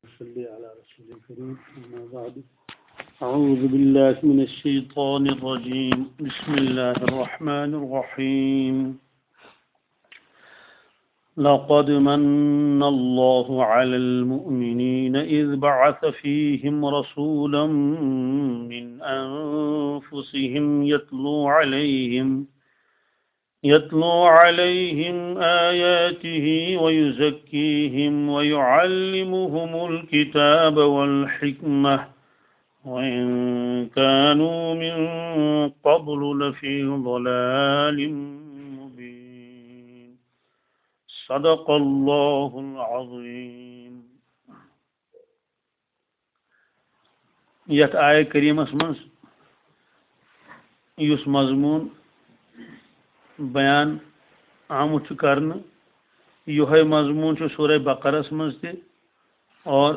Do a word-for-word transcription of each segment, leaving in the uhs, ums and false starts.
صل على رسول الكريم، أما بعد. أعوذ بالله من الشيطان الرجيم. بسم الله الرحمن الرحيم. لقد من الله على المؤمنين إذ بعث فيهم رسولا من أنفسهم يتلو عليهم يتلو عليهم آياته ويزكيهم ويعلمهم الكتاب والحكمة وإن كانوا من قبل لفي ضلال مبين. صدق الله العظيم. یتھ آیہ کریمس منٛز یُس مضموٗن بیان آمُت چھُ کرنہٕ، یِہوٚے مضموٗن چھُ سورہ بقرس منٛز تہِ، اور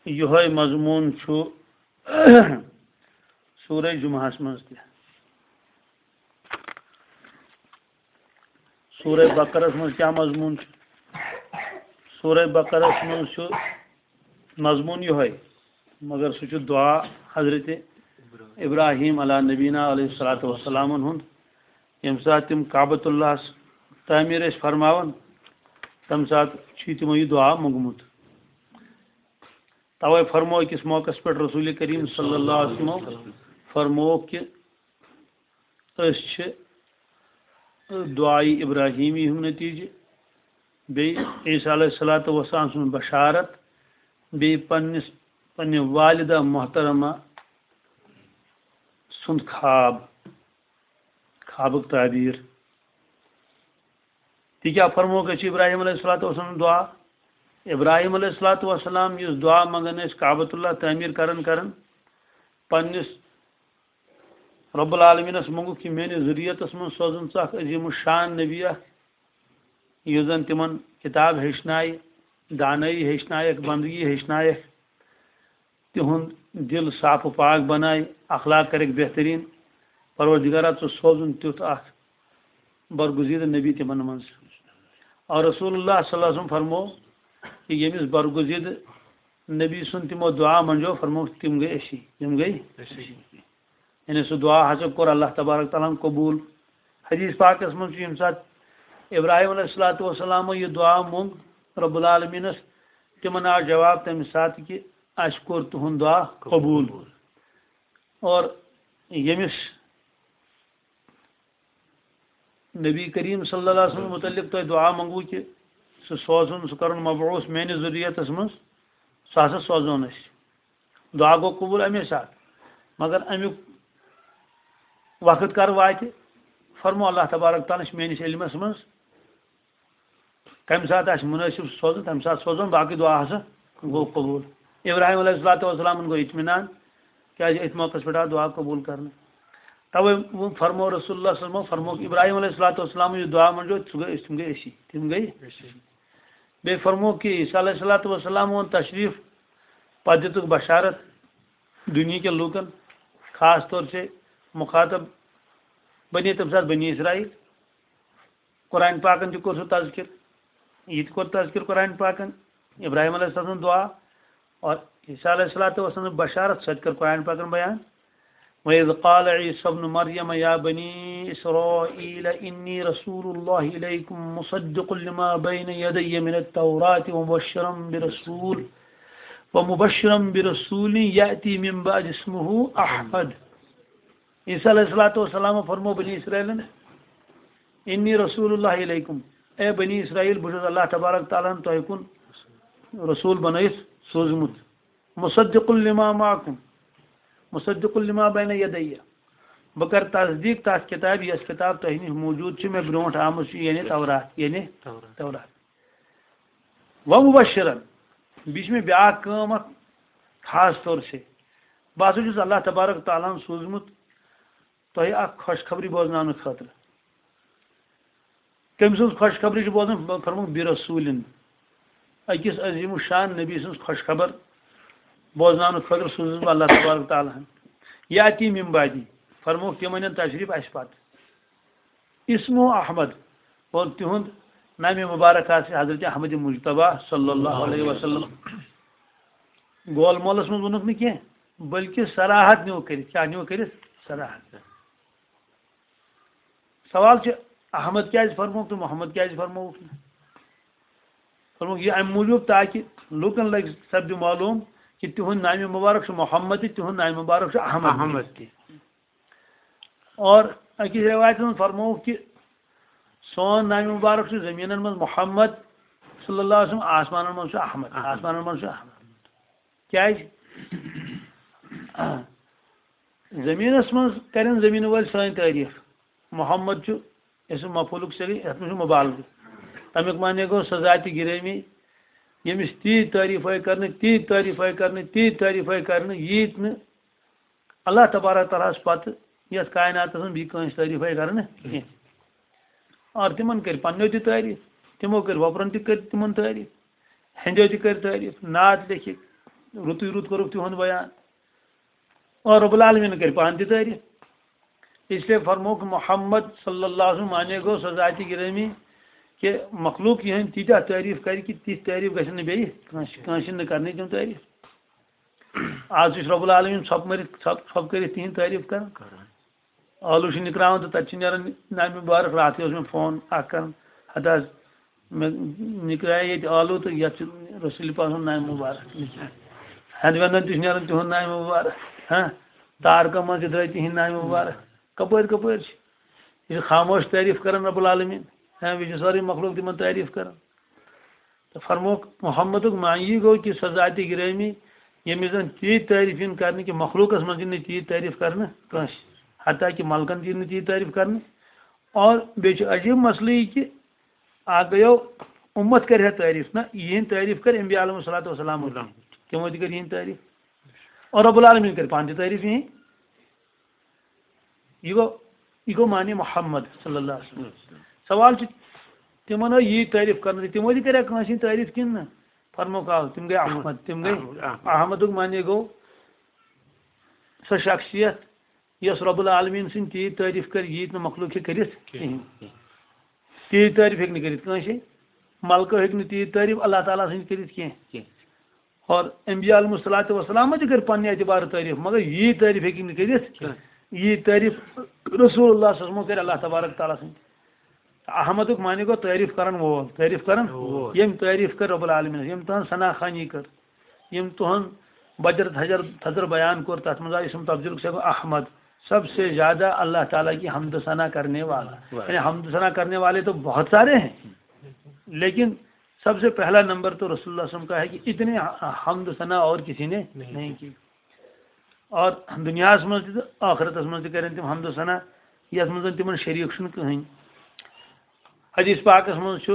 یِہوٚے مضموٗن چھُ سورہ جمعہس منٛز تہِ۔ سورہ بقرس منٛز کیٛاہ مضموٗن چھُ؟ سورہ بقرس منٛز چھُ مضموٗن یِہوٚے، مگر سُہ چھُ دعا حضرت ابراہیم علیٰ نبینا علیہ الصلوۃ والسلامن ہُنٛد۔ ییٚمہِ ساتہٕ تِم کعبۃ اللہس تعمیٖر ٲسۍ فرماوان، تَمہِ ساتہٕ چھُ تِمو یہِ دعا موٚنگمُت۔ توے فرمو أکِس موقعس پٮ۪ٹھ رسول کریم صلی اللہ علیہ وسلم فرمووُکھ کہِ أسۍ چھِ دعائے ابراہیمی ہُنٛد نتیجہٕ، بیٚیہِ عیسیٰ علیہ الصلوۃ والسلام سٕنٛز بشارت، بیٚیہِ پننِس، پننہِ والدہ محترمہ سُنٛد خواب، خوابُک تعبیٖر۔ تہِ کیٛاہ فرمووُکھ اَسہِ ابراہیم علیہ الصلوۃ والسلام دعا؟ ابراہیم علیہ الصلوۃ والسلام یُس دعا منٛگان ٲسۍ کعبۃ اللہ تعمیٖر کران کران، پننِس رب العالمینس منٛگُکھ کہِ میٲنِس ذُریتس منٛز سوزُن ژٕ اکھ عظیم الشان نبی اکھ، یُس زن تِمن کتاب ہیٚچھنایہِ، دانٲیی ہیٚچھنایکھ، بندگی ہیٚچھنایکھ، تِہُنٛد دِل صاف و پاک بنایہِ، اخلاق کرکھ بہتریٖن۔ پروردگارا، ژٕ سوزُن تیُتھ اکھ برگزیدٕ نبی تِمن منٛز۔ اور رسول اللہ صلی اللہ علیہ وسلم فرمو کہِ ییٚمِس برگزیدٕ نبی سُنٛد تِمو دعا منجو، فرمو تِم گٔے أسی، تِم گٔے أسی۔ یعنی سُہ دعا ہسا کوٚر اللہ تبارک تعالیٰ ہن قبوٗل۔ حدیث پاکس منٛز چھُ ییٚمہِ ساتہٕ ابراہیم علیہ الصلوۃ والسلامو یہِ دعا موٚنگ رب العالمینس، تِمن آو جواب تمہِ ساتہٕ کہِ اسہِ کوٚر تُہُنٛد دعا قبوٗل۔ اور ییٚمِس نبی کریم صلی اللہ علیہ وسلم متعلق تۄہہِ دعا منٛگوٕ کہِ سُہ سوزُن، سُہ کرُن مبعوث میانہِ ذُریتس منٛز، سُہ ہسا سوزون أسۍ۔ دعا گوٚو قبوٗل اَمے ساتہٕ، مگر اَمیُک وقت کر واتہِ، فرمو اللہ تبارک تعالیٰ ہَن چھِ میٲنِس علمس منٛز، کمہِ ساتہٕ آسہِ مُنٲسِب سُہ سوزُن، تمہِ ساتہٕ سوزُن، باقٕے دعا ہسا گوٚو قبوٗل۔ ابراہیم علیہ الصلوۃ والسلامن گوٚو اطمینان، کیازِ أتھۍ موقعس پٮ۪ٹھ آو دعا قبوٗل کرنہٕ۔ توے ووٚن، فرمو رسول اللہ صلی اللہ علیہ وسلم، فرمووُکھ ابراہیم علیہ الصلوۃ والسلام یُس دعا منٛجو، سُہ گٔے، تِم گٔے أسی، تِم گٔے۔ بیٚیہِ فرمووُکھ کہِ عیسیٰ علیہ الصلوۃ والسلام اوٚن تشریٖف، پتہٕ دِتُکھ بشارت دُنیہکٮ۪ن لوٗکن، خاص طور سے مخاطب بنی، تمہِ ساتہٕ بنی اسرائیل۔ قرآن پاکن تہِ کوٚر سُہ تذکر، یہِ تہِ کوٚر تذکر قرآن پاکن، ابراہیم علیہ السلام سٕنٛز دعا اور عیسیٰ علیہ الصلوۃ والسلام سٕنٛز بشارت، سۄ تہِ کٔر قرآن پاکن بیان۔ وَإِذْ قَالَ عِيسَى ابْنُ مَرْيَمَ يَا بَنِي إِسْرَائِيلَ إِنِّي رَسُولُ اللَّهِ إِلَيْكُمْ مُصَدِّقًا لِمَا بَيْنَ يَدَيَّ مِنَ التَّوْرَاةِ وَمُبَشِّرًا بِرَسُولٍ وَمُبَشِّرًا بِرَسُولٍ يَأْتِي مِنْ بَعْدِي اسْمُهُ أَحْمَدُ۔ عیسیٰ علیہ الصلوۃ والسلام فرمو بنی اسرائیلن، انی رسول اللہ علیکم، اے بنی اسرائیل، بہٕ چھُس اللہ تبارک تعالیٰ ہن تۄہہِ کُن رسول بنٲیِتھ سوٗزمُت، مصدق لما معکم، مصدق لما بین یدیہ، بہٕ کرٕ تصدیق تتھ کتابہِ، یۄس کتاب تۄہہِ نِش موجود چھِ، مےٚ برونٛٹھ آمٕژ چھِ، یعنی تورات، یعنی تورات۔ تورات۔ ومبشرا، بیٚیہِ چھِ مےٚ بیٛاکھ کٲم اکھ خاص طور سے، بہٕ ہسا چھُس اللہ تبارک تعالیٰ ہن سوٗزمُت تۄہہِ اکھ خۄشخبری بوزناونہٕ خٲطرٕ۔ کٔمۍ سٕنٛز خۄشخبری چھِ بوزان؟ فرمووُکھ، برسولن، أکِس عظیم الشان نبی سٕنٛز خۄشخبر بوزناونہٕ خٲطرٕ سوٗزُس بہٕ اللہ تبارک تعالیٰ ہن۔ یاتی من بعدی، فرمووُکھ، تِم انن تشریف اسہِ پتہٕ۔ اسمو احمد، اور تِہُنٛد نامِ مُبارک آسہِ حضرت احمد مجتبیٰ صلی اللہ علیہ وسلم۔ گول مولس منٛز ووٚنُکھ نہٕ کینٛہہ، بلکہِ صراحت نیوٗ کٔرِتھ۔ کیٛاہ نیوٗ کٔرِتھ؟ صراحت۔ سوال چھُ، احمد کیٛازِ فرمووُکھ تہٕ محمد کیٛازِ فرمووُکھ نہٕ؟ فرمووُکھ یہِ اَمہِ موٗجوٗب تاکہِ لوٗکن لگہِ سپدِ معلوٗم کہِ تِہُنٛد نامِ مُبارک چھُ محمد تہٕ تِہُنٛد نامِ مُبارک چھُ احمد۔ احمد تہِ۔ اور أکِس رٮ۪وایتَس منٛز فرمووُکھ کہِ سون نامِ مُبارک چھُ زٔمیٖنَن منٛز محمد صلی اللہ علیہ وسلم، آسمانَن منٛز چھُ احمد۔ احمد۔ آسمانَن منٛز چھُ احمد۔ کیٛازِ؟ زٔمیٖنَس منٛز کَرن زٔمیٖنہٕ وٲلۍ سٲنۍ تعریٖف۔ محمد چھُ اسم مفعولُک صیغہٕ، یَتھ منٛز چھُ مُبالغہٕ۔ تَمیُک معنی گوٚو سۄ ذاتِ گِرٲمی، ییٚمِس تیٖتۍ تعریٖف آیہِ کَرنہٕ، تیٖتۍ تعریٖف آیہِ کَرنہٕ، تیٖتۍ تعریٖف آیہِ کَرنہٕ، ییٖتۍ نہٕ اللہ تبارک تعالیٰ ہَس پتہٕ یَتھ کائناتَس منٛز بیٚیہِ کٲنٛسہِ تعریٖف آیہِ کَرنہٕ کینٛہہ۔ اور تِمَن کٔرۍ پنٛنیو تہِ تعریٖف، تِمو کٔرۍ وۄپرَن تہِ کٔرۍ تِمَن تعریٖف، ہیٚنٛدیو تہِ کٔرۍ تعریٖف، نعت لیٚکھِکھ، رُتُے رُت کوٚرُکھ تِہُنٛد بیان۔ اور رب العالمین کٔرۍ پانہٕ تہِ تعریٖف۔ اس لیے فرمووُکھ محمد صلی اللہ علیہ وسلم معنی گوٚو سۄ ذاتِ گِرٲمی کہِ مخلوق یِہٕنٛدۍ تیٖتیٛاہ تعریٖف کَرِ کہِ تِژھ تعریٖف گژھن نہٕ بیٚیہِ کٲنٛسہِ، کٲنٛسہِ نہٕ کَرنٕے تِم تعریٖف۔ آز تہِ چھُ رب العالمین ژھۄپہٕ مٲرِتھ، ژھۄپہٕ، ژھۄپہٕ کٔرِتھ تِہِنٛدۍ تعریٖف کَران۔ ٲلوٕ چھِ نِکراوان تہٕ تَتہِ چھِ نیران نامِ مُبارک۔ راتھٕے اوس مےٚ فون اَکھ کَران، ہَتہٕ حظ مےٚ نِکرایے ییٚتہِ ٲلوٕ تہٕ یَتھ چھُ رسول پاک سُنٛد نامِ مُبارک۔ ہٮ۪نٛد وٮ۪نٛدَن تہِ چھُ نیران تِہُنٛد نامِ مُبارک۔ ہاں، تارکَن منٛز تہِ درٛاے تِہِنٛدۍ نامِ مُبارک۔ کَپٲرۍ کَپٲرۍ چھِ؟ یہِ چھُ خاموش تعریٖف کَران رب العالمین۔ ہاں، بیٚیہِ چھُ سٲرٕے مخلوق تِمَن تعریٖف کَران۔ تہٕ فرمووُکھ محمدُک معنی گوٚو کہِ سۄ ذاتِ گِرٲمی، ییٚمِس زَن تیٖتۍ تعریٖف یِن کَرنہٕ کہِ مخلوقَس منٛز یِن نہٕ تیٖتۍ تعریٖف کَرنہٕ کٲنٛسہِ، حتیٰ کہِ ملکَن تہِ یِن نہٕ تیٖتۍ تعریٖف کَرنہٕ۔ اور بیٚیہِ چھُ عجیٖب مسلہٕ یہِ کہِ اَکھ گٔیو اُمت کَرِ ہا تعریٖف، نہ، یِہِنٛدۍ تعریٖف کَرِ انبیاء علیہم الصلوۃ والسلام۔ تِمو تہِ کٔر یِہِنٛدۍ تعریٖف۔ اور رب العالمین کَرِ پانہٕ تہِ تعریٖف یِہِنٛدۍ۔ یہِ گوٚو، یہِ گوٚو معنی محمد صلی اللہ علیہ وسلم۔ سوال چھُ، تِمن ٲس یی تعریٖف کرنہٕ، تِمو تہِ کریٛا کٲنٛسہِ ہٕنٛز تعریٖف کِنہٕ نہٕ؟ فرموکھ آو، تِم گٔے احمد، تِم گٔے احمد، احمد۔ احمدُک معنی گوٚو سۄ شخصیت یۄس رب العالمین سٕنٛدۍ تیٖتۍ تعریٖف کرِ، ییٖتۍ نہٕ مخلوق ہیٚکہِ کٔرِتھ کِہیٖنۍ۔ کِہیٖنۍ۔ تیٖتۍ تعریٖف ہیٚکہِ نہٕ کٔرِتھ کٲنٛسے، ملکو ہیٚکہِ نہٕ تیٖتۍ تعریٖف اللہ تعالیٰ سٕنٛدۍ کٔرِتھ کینٛہہ۔ کینٛہہ۔ اور انبیاء علیہم الصلوۃ والسلام تہِ کٔر پننہِ اعتبارٕ تعریٖف، مگر یی تعریٖف ہیٚکہِ نہٕ کٔرِتھ، کینٛہہ۔ یی تعریٖف رسول اللہ صلی اللہ علیہ وسلم کٔر اللہ تبارک تعالیٰ سٕنٛدۍ۔ احمدُک معنی گوٚو تعریٖف کرن وول، تعریٖف کرن وول۔ ییٚمۍ تعریٖف کٔر رب العالمینس، ییٚمۍ تُہنٛز ثنا خوانی کٔر، ییٚمۍ تُہنٛد بجر تھجر تھزر بیان کوٚر، تتھ منٛز آو اسم تفضیلُک صیغہ احمد، سب سے زیادہ اللہ تعالیٰ کی حمد و ثنا کرنے والا۔ واہ۔ یعنی حمد و ثنا کرنے والے تو بہت سارے ہیں، لیکن سب سے پہلا نمبر تو رسول اللہ صلی اللہ علیہ وسلم کا ہے کہ اتنی حمد و ثنا اور کسی نے نہیں، نہیں کی۔ اور دنیاہس منٛز تہِ تہٕ ٲخرتس منٛز تہِ کرن تِم حمد و ثنا، یتھ منٛز زن تِمن شریٖک چھُنہٕ کٕہٕنۍ۔ حدیث پاکس منٛز چھُ،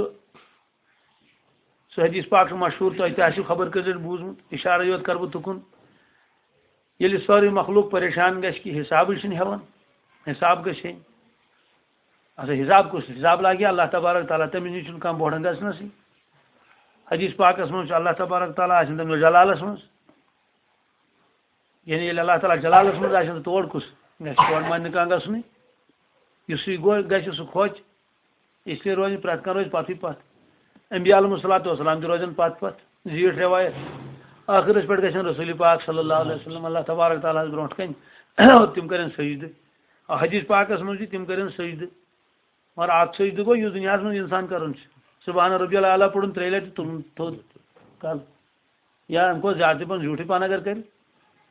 سُہ حدیث پاک چھُ مشہوٗر، تۄہہِ تہِ آسِو خبر کٔژ لٹہِ بوٗزمُت، اشارے یوت کرٕ بہٕ تُکُن۔ ییٚلہِ سٲرٕے مخلوق پریشان گژھِ کہِ حسابٕے چھُنہٕ ہٮ۪وان، حساب گژھِ ہے۔ اچھا، حساب کُس؟ حساب لاگہِ اللہ تبارک تعالیٰ، تٔمِس نِش چھُنہٕ کانٛہہ بوٚڑ گژھنَسٕے۔ حدیث پاکس منٛز چھُ اللہ تبارک تعالیٰ آسان تٔمِس جلالس منٛز۔ یعنی ییٚلہِ اللہ تعالیٰ جلالس منٛز آسہِ، تہٕ تور کُس گژھِ؟ تور ما نہٕ کانٛہہ گژھنُے۔ یُس سُے گوٚو، گژھِ سُہ کھوژِ۔ اس لیے روزِ پرٛٮ۪تھ کانٛہہ روزِ پتھٕے پتھ۔ انبیاء علیہم الصلوۃ والسلام تہِ روزن پتھ پتھ۔ زیٖٹھ رٮ۪وایت۔ ٲخرس پٮ۪ٹھ گژھن رسول پاک صلی اللہ علیہ وسلم اللہ تبارک تعالیٰ ہس برونٛٹھ کنہِ اور تِم کرن سجدٕ۔ حدیث پاکس منٛز چھِ تِم کرن سجدٕ۔ مگر اکھ سجدٕ گوٚو یُس دُنیاہس منٛز انسان کران چھُ۔ سبحان ربی الاعلیٰ پوٚرُن ترٛیٚیہِ لٹہِ، تُلُن تھوٚد کر۔ یا اَمہِ کھۄتہٕ زیادٕ تہِ پَہَن زیوٗٹھٕے پَہَن اگر کَرِ،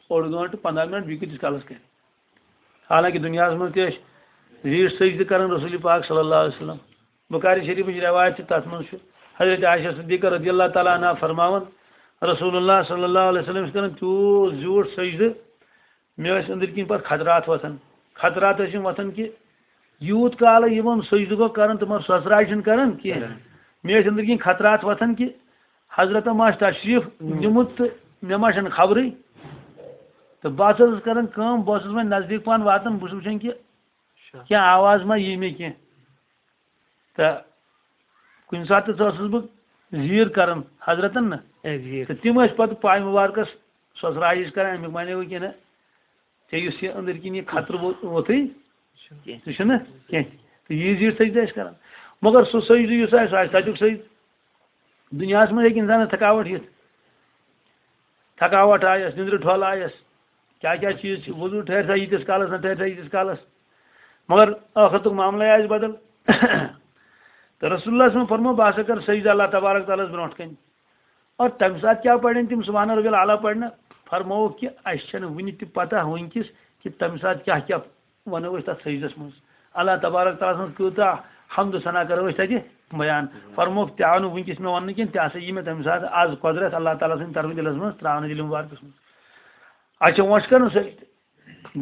اوٚڑ گٲنٛٹہٕ، پنٛداہ مِنَٹ، بیٚیہِ کۭتِس کالَس کَرِ؟ حالانکہِ دُنیاہَس منٛز تہِ ٲسۍ زیٖٹھ سجدٕ کَران رسول پاک صلی اللہ علیہ وسلم۔ بخاری شریفٕچ رٮ۪وایت چھِ، تَتھ منٛز چھُ حضرت عائشہ صدیقہ رضی اللہ تعالیٰ عنہا فرماوان، رسول اللہ صلی اللہ علیہ وسلم چھِ کَران تیوٗت زیوٗٹھ سجدٕ، مےٚ ٲسۍ أنٛدٕرۍ کِنۍ پَتہٕ خطرات وۄتھان۔ خطرات ٲسِم وۄتھان کہِ یوٗت کالہٕ یِمَن سجدٕ گوٚو کَران، تِمَن سۄژراے چھِنہٕ کَران کینٛہہ۔ کَران۔ مےٚ ٲسۍ أنٛدٕرۍ کِنۍ خطرات وۄتھان کہِ حضرتَن ما آسہِ تشریٖف ہُم۔ نیُمُت تہٕ مےٚ ما چھَنہٕ خبرٕے۔ تہٕ بہٕ ہسا ٲسٕس کران کٲم، بہٕ اوسُس وۄنۍ نزدیٖک پہن واتان، بہٕ چھُس وٕچھان کہِ اچھا۔ کینٛہہ آواز ما یی مےٚ کینٛہہ۔ تہٕ کُنہِ ساتہٕ تہِ ٲسٕس بہٕ زیٖر کران حضرتن نہ۔ اے، زیٖر۔ تہٕ تِم ٲسۍ پتہٕ پاے مُبارکس سۄژراے ہِش کران، امیُک معنی گوٚو کہِ نہ، ژےٚ یُس یہِ أنٛدٕرۍ کِنۍ یہِ خطرٕ وو-، ووتھٕے، کینٛہہ۔ سُہ چھُنہٕ کینٛہہ۔ تہٕ یہِ زیٖٹھ سجدٕ ٲسۍ کران۔ مگر سُہ سجدٕ یُس آسہِ، سُہ آسہِ تَتیُک سجدٕ۔ دُنیاہَس منٛز ہیٚکہِ اِنسانَس تھکاوٹ یِتھ، تھکاوٹ آیَس، نِندرِ ٹھۄل آیَس، کیٛاہ کیٛاہ چیٖز چھِ، وضوٗ ٹھہرِ سا ییٖتِس کالَس، نہ ٹھہرِ سا ییٖتِس کالَس، مگر ٲخرتُک معاملَے آسہِ بدل۔ تہٕ رسول اللہ صلی اللہ علیہ وسلم فرموو، "بہٕ ہسا کَرٕ سجدٕ اللہ تبارک تعالیٰ ہَس برونٛٹھ کَنہِ۔" اور تَمہِ ساتہٕ کیٛاہ پَرن تِم سبحان ربی الاعلیٰ پَرنہٕ؟ فرمووُکھ کہِ اَسہِ چھَنہٕ وٕنہِ تہِ پَتہ وٕنکِس کہِ تَمہِ ساتہٕ کیٛاہ کیٛاہ وَنو أسۍ تَتھ سجدَس منٛز۔ اللہ تبارک تعالیٰ سٕنٛز کۭژاہ حمد و ثنا کَرو أسۍ تَتہِ بیان۔ فرمووُکھ، تہِ آو نہٕ وٕنکِس مےٚ وَننہٕ کینٛہہ، تہِ ہسا یی مےٚ تَمہِ ساتہٕ آز قۄدرت اللہ تعالیٰ سٕنٛدِ طرفہٕ دِلَس منٛز ترٛاونہٕ، دِلہِ مُبارکَس منٛز۔ اَسہِ چھِ وۄنۍ چھِ کَرُن سجدٕ۔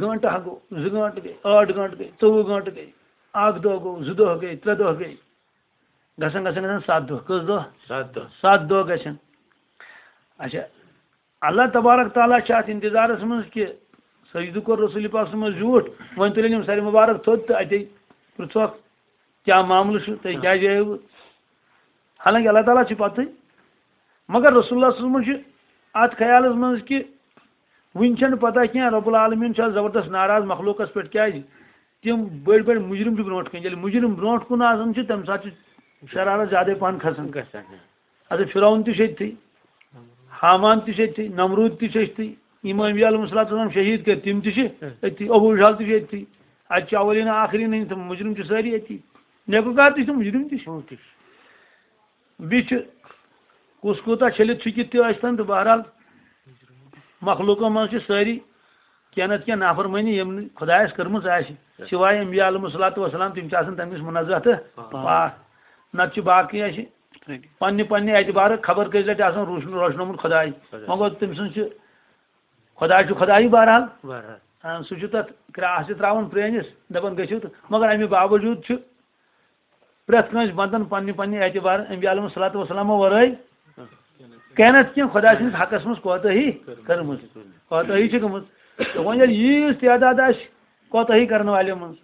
گٲنٛٹہٕ اَکھ گوٚو، زٕ گٲنٛٹہٕ گٔے، ٲٹھ گٲنٛٹہٕ گٔے، ژوٚوُہ گٲنٛٹہٕ گٔے، اَکھ دۄہ گوٚو، زٕ دۄہ گٔے، ترٛےٚ دۄہ گٔے۔ گژھان گژھان گژھان ستھ دۄہ۔ کٔژ دۄہ؟ ستھ دۄہ۔ ستھ دۄہ گژھن۔ اچھا، اللہ تبارک تعالیٰ چھِ اَتھ انتظارَس منٛز کہِ سجدٕ کوٚر رسول پاک صلی اللہ علیہ وسلمَس زیوٗٹھ، وۄنۍ تُلِن یِم سَرِ مُبارک تھوٚد تہٕ اَتے پرٛژھوکھ، "کیٛاہ معاملہٕ چھُ؟ تُہۍ کیٛازِ آیوٕ؟" حالانکہ اللہ تعالیٰ چھِ پَتہٕ، مگر رسول اللہ صلی اللہ علیہ وسلم چھُ اَتھ خیالَس منٛز کہِ وٕنہِ چھَنہٕ پَتہ کینٛہہ، رب العالمین چھُ اَتھ زبردست ناراض مخلوقَس پٮ۪ٹھ۔ کیٛازِ؟ تِم بٔڑۍ بٔڑۍ مُجرِم چھِ برونٛٹھ کَنہِ۔ ییٚلہِ مُجرِم برونٛٹھ کُن آسان چھِ، تَمہِ ساتہٕ چھِ شرارت زیادَے پَہَن کھسان۔ گژھان۔ اَدٕ فرعون تہِ چھُ أتھی، حامان تہِ چھُ أتھی، نمروٗد تہِ چھُ أتھی، یِم انبیاء علیہم الصلوۃ والسلام شہیٖد کٔرۍ، تِم تہِ چھِ أتھی، ابو جہل تہِ چھُ أتھی۔ اَتہِ چھِ اولین آخرین ہٕنٛدۍ تِم مُجرِم چھِ سٲری أتھی، نیکوکار تہِ چھِ، مُجرِم تہِ چھِ۔ بیٚیہِ چھُ کُس کوٗتاہ چھٔلِتھ چھُکِتھ تہِ ٲسۍتن، تہٕ بہرحال مخلوٗقو منٛز چھِ سٲری کینٛہہ نتہٕ کینٛہہ نافرمٲنی یِم نہٕ خۄدایَس کٔرمٕژ آسہِ، سوائے انبیاء علیہم الصلوۃ والسلام، تِم چھِ آسان تَمہِ نِش منزہ تہٕ پاک۔ نتہٕ چھِ باقٕے اَسہِ پننہِ پننہِ اعتبارٕ خبر کٔژِ لٹہِ آسان روشن-، روشنومُت خۄداے۔ مگر تٔمۍ سٕنٛز چھِ، خۄداے چھُ خۄدایی بہرحال۔ بہرحال۔ آ، سُہ چھُ تَتھ کرٛاس تہِ ترٛاوان پرٛٲنِس، دَپان گٔژھِو تہٕ، مگر اَمہِ باوجوٗد چھُ پرٛٮ۪تھ کٲنٛسہِ بنٛدن پننہِ پننہِ اعتبار انبیاء علیہم الصلوۃ والسلامو ورٲے کینٛہہ نتہٕ کینٛہہ خۄداے سٕنٛدِس حقس منٛز کوتٲہی کٔرمٕژ۔ کوتٲہی چھِ گٔمٕژ۔ تہٕ وۄنۍ ییٚلہِ ییٖژ تعداد آسہِ کوتٲہی کرن والٮ۪ن منٛز،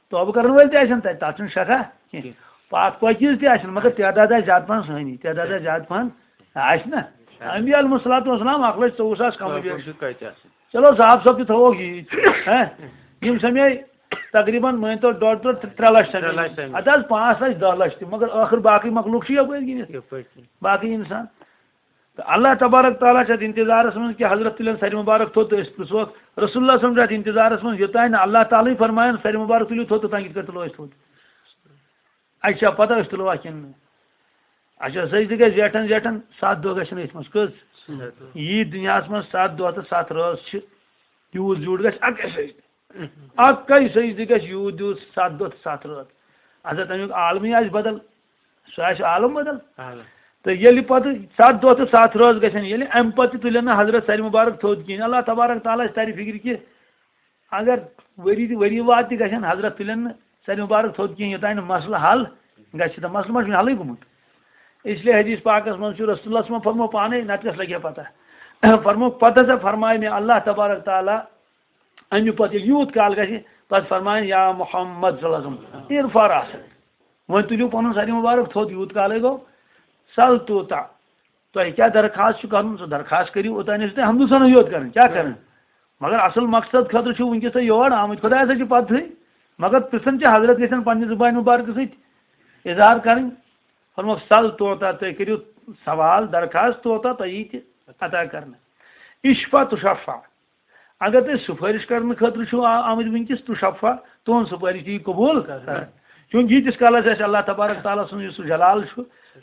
توبہٕ کرن وٲلۍ تہِ آسن تتہِ، تتھ چھُنہٕ شکھا کینٛہہ۔ پتھ پٲکیٖز تہِ آسن، مگر تعداد آسہِ زیادٕ پہن سٲنی، تعداد آسہِ زیادٕ پہن آسہِ نا۔ انبیاء علیہم الصلوۃ والسلام اکھ لچھ ژوٚوُہ ساس کم و بیش۔ کتہِ آسن؟ چلو، صاف صٲب تہِ تھاووکھ یی۔ ہہ؟ یِم سمے تقریباً مٲنۍ تو ڈۄڈ ڈۄڈ تہٕ ترٛےٚ لچھ سمے۔ ترٛےٚ لچھ سمے۔ اَدٕ حظ، پانٛژھ لچھ، دَہ لچھ تہِ، مگر ٲخٕر باقٕے مخلوق چھِ یَپٲرۍ گِنٛدِتھ۔ یَپٲرۍ کِنۍ۔ باقٕے اِنسان۔ تہٕ اللہ تبارک تعالیٰ چھِ اَتھ اِنتظارَس منٛز کہِ حضرت تُلن سَرِ مُبارک تھوٚد تہٕ أسۍ پرٛژھوکھ۔ رسول اللہ صلی اللہ علیہ وسلم چھِ اَتھ اِنتظارَس منٛز، یوٚتانۍ نہٕ اللہ تعالیٰ ہٕے فرمایَن سَرِ مُبارک تُلِو تھوٚد، توٚتانۍ کِتھ پٲٹھۍ تُلو أسۍ تھوٚد؟ اَسہِ چھا پَتہ أسۍ تُلوا کِنہٕ نہٕ؟ اچھا، سجدٕ گژھِ زیٹھن زیٹھن ستھ دۄہ گژھن أتھۍ منٛز۔ کٔژ؟ ستھ دۄہ۔ یی دُنیاہس منٛز ستھ دۄہ تہٕ ستھ رٲژ چھِ، یوٗت زیوٗٹھ گژھِ اکے سجدٕ۔ اکے سجدٕ گژھِ یوٗت یوٗت ستھ دۄہ تہٕ ستھ رٲژ۔ اچھا، تمیُک عالمٕے آسہِ بدل، سُہ آسہِ عالم بدل۔ عالم۔ تہٕ ییٚلہِ پتہٕ ستھ دۄہ تہٕ ستھ رٲژ گژھن، ییٚلہِ امہِ پتہٕ تہِ تُلن نہٕ حضرت سَرِ مُبارک تھوٚد کِہیٖنۍ، اللہ تبارک تعالیٰ آسہِ ترِ فِکرِ کہِ اگر ؤری تہِ، ؤری واد تہِ گژھن، حضرت تُلن نہٕ سَرِ مُبارک تھوٚد کِہیٖنۍ، یوٚتانۍ نہٕ مسلہٕ حل گژھِ۔ تہٕ مسلہٕ ما چھُ حلٕے گوٚمُت؟ اس لیے حدیث پاکس منٛز چھُ رسول اللہ صلی اللہ علیہ وسلم فرمو پانے، نتہٕ کس لگہِ ہا پتہ۔ فرمو پتہٕ ہسا فرمایہِ مےٚ اللہ تبارک تعالیٰ، امہِ پتہٕ ییٚلہِ یوٗت کال گژھِ، پتہٕ فرمایہِ، "یا محمد صلی اللہ علیہ وسلم، ارفع رأسک۔" وۄنۍ تُلِو پنُن سَرِ مُبارک تھوٚد، یوٗت کالے گوٚو، "سل توٗتاہ۔" تۄہہِ کیٛاہ درخواست چھُ کرُن، سُہ درخواست کٔرِو، اوٚتانۍ ٲسِو تُہۍ حمدٕ ثنا یوت کران۔ کیٛاہ کران؟ مگر اصل مقصد خٲطرٕ چھُ وٕنکیٚس تۄہہِ یور آمٕتۍ، خۄدایس حظ چھِ پتہٕے۔ مگر پرژھن چھِ حضرت یژھان پننہِ زبانہِ مبارکہٕ سۭتۍ اظہار کرٕنۍ۔ فرموکھ، "سل توٗتاہ"، تُہۍ کٔرِو سوال، درخواست، "توٗتاہ"، تۄہہِ یی تہِ عطا کرنہٕ۔ اشفع تشفع۔ اگر تُہۍ سُفٲرِش کرنہٕ خٲطرٕ چھِو آ-، آمٕتۍ وٕنکیٚس، تُشفع، تُہنٛز سُفٲرِش تہِ یی قبوٗل کرنہٕ۔ چوٗنٛکہِ ییٖتِس کالس اَسہِ اللہ تبارک تعالیٰ سُنٛد یُس سُہ جلال چھُ،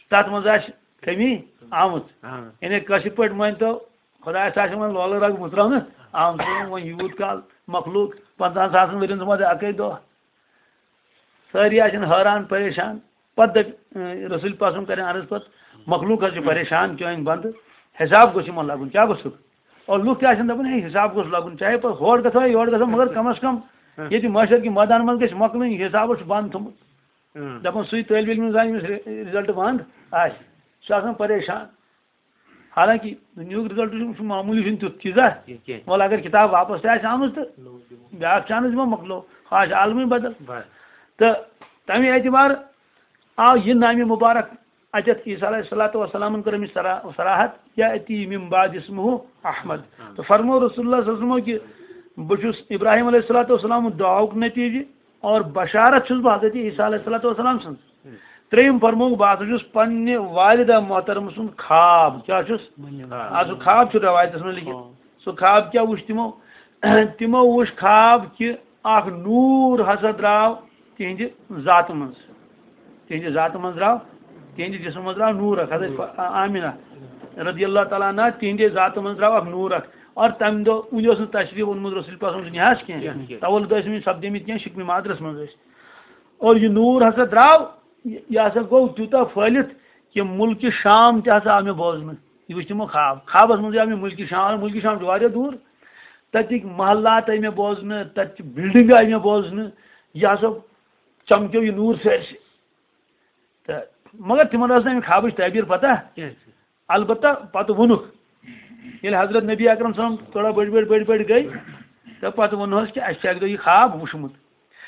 تَتھ منٛز آسہِ کٔمی آمٕژ۔ آ۔ یعنی کٲشِر پٲٹھۍ مٲنۍ تو، خۄدایَس آسہِ وۄنۍ لولہٕ رگ مُژراونہٕ آمُت۔ وۄنۍ یوٗت کال مخلوٗق پنٛژاہَن ساسَن ؤرِین منٛز اَکٕے دۄہ۔ سٲری آسن حٲران، پریشان۔ پتہٕ دٔپۍ، اۭں، رسول پاک صلی اللہ علیہ وسلم کرن عرض پتہٕ، مخلوق حظ چھُ پریشان، چٲنۍ بندٕ، حساب گوٚژھ یِمن لگُن، کیٛاہ گوٚژھُکھ؟ اور لُکھ تہِ آسن دپان، ہے، حساب گوٚژھ لگُن، چاہے پتہٕ ہور گژھو یا یورٕ گژھو، مگر کم از کم ییٚتہِ محشر کہِ مٲدان منٛز گژھِ مۄکلٕنۍ، یہِ حساب چھُ بند تھوٚمُت۔ اۭں۔ دپان سُے طٲلبِ علم زانہِ ییٚمِس رِ-، رِزلٹ بند آسہِ، سُہ چھُ آسان پریشان۔ حالانکہ دُنیہُک رِزلٹ چھُ، چھُ معموٗلی، چھُنہٕ تیُتھ چیٖزا۔ یہِ کینٛہہ۔ وَلہٕ اگر کِتاب واپس تہِ آسہِ آمٕژ تہٕ بیٛاکھ chance دِمو، مۄکلو، آسہِ عالمٕے بدل۔ بس۔ تہٕ تَمہِ اعتبار آو یہِ نامِ مُبارک اَتٮ۪تھ عیسیٰ علیہ الصلوۃ والسلامن کٔر أمِس صرا-، صراحت، "یأتی من بعد اسمہ احمد۔" تہٕ فرموو رسول اللہ صلی اللہ علیہ وسلمو کہِ بہٕ چھُس ابراہیم علیہ الصلوۃ والسلام دعاہُک نتیٖجہٕ اور بشارت چھُس بہٕ حضرت عیسیٰ علیہ الصلوۃ والسلام سٕنٛز۔ ترٛیٚیِم فرمووُکھ، بہٕ ہسا چھُس پننہِ والدہ محترمہٕ سُنٛد خواب، کیٛاہ چھُس؟ آ، سُہ خواب چھُ رٮ۪وایتَس منٛز لیٚکھِتھ۔ سُہ خواب کیٛاہ وُچھ تِمو؟ تِمو وُچھ خواب کہِ اکھ نوٗر ہسا درٛاو تِہنٛدِ ذاتہٕ منٛز۔ تِہنٛدِ ذاتہٕ منٛز درٛاو، تِہنٛدِ جسمہٕ منٛز درٛاو نوٗر اکھ۔ حضرت آمینہ رضی اللہ تعالیٰ عنہ، تِہنٛدِ ذاتہٕ منٛز درٛاو اکھ نوٗر اکھ۔ اور تَمہِ دۄہ، وٕنہِ اوس نہٕ تشریف اوٚنمُت رسول پاک سُنٛد دُنیاہَس کینٛہہ۔ کینٛہہ، کینٛہہ۔ تولد ٲسۍ وٕنہِ سپدیمٕتۍ کینٛہہ، شِکمہِ مادرَس منٛز ٲسۍ۔ اور یہِ نوٗر ہسا درٛاو، یہِ، یہِ ہسا گوٚو تیوٗتاہ پھٲلِتھ کہِ مُلکہِ شام تہِ ہسا آو مےٚ بوزنہٕ۔ یہِ وٕچھ تِمو خواب۔ خوابَس منٛزٕے آو مےٚ مُلکہِ شام، مُلکہِ شام چھُ واریاہ دوٗر۔ تَتِکۍ محلات آیہِ مےٚ بوزنہٕ، تَتہِ چہِ building آیہِ مےٚ بوزنہٕ۔ یہِ ہسا چمکیو یہِ نوٗر سٲرسٕے۔ تہٕ مگر تِمن ٲس نہٕ اَمہِ خوابٕچ تعبیٖر پتہ۔ کینٛہہ۔ البتہ پتہٕ ووٚنُکھ، ییٚلہِ حضرت نبی اکرم صلی اللہ علیہ وسلم تھوڑا بٔڑۍ بٔڑۍ بٔڑۍ بٔڑۍ گٔے، تہٕ پتہٕ ووٚنہوس کہِ اَسہِ چھُ اَکہِ دۄہ یہِ خواب وُچھمُت۔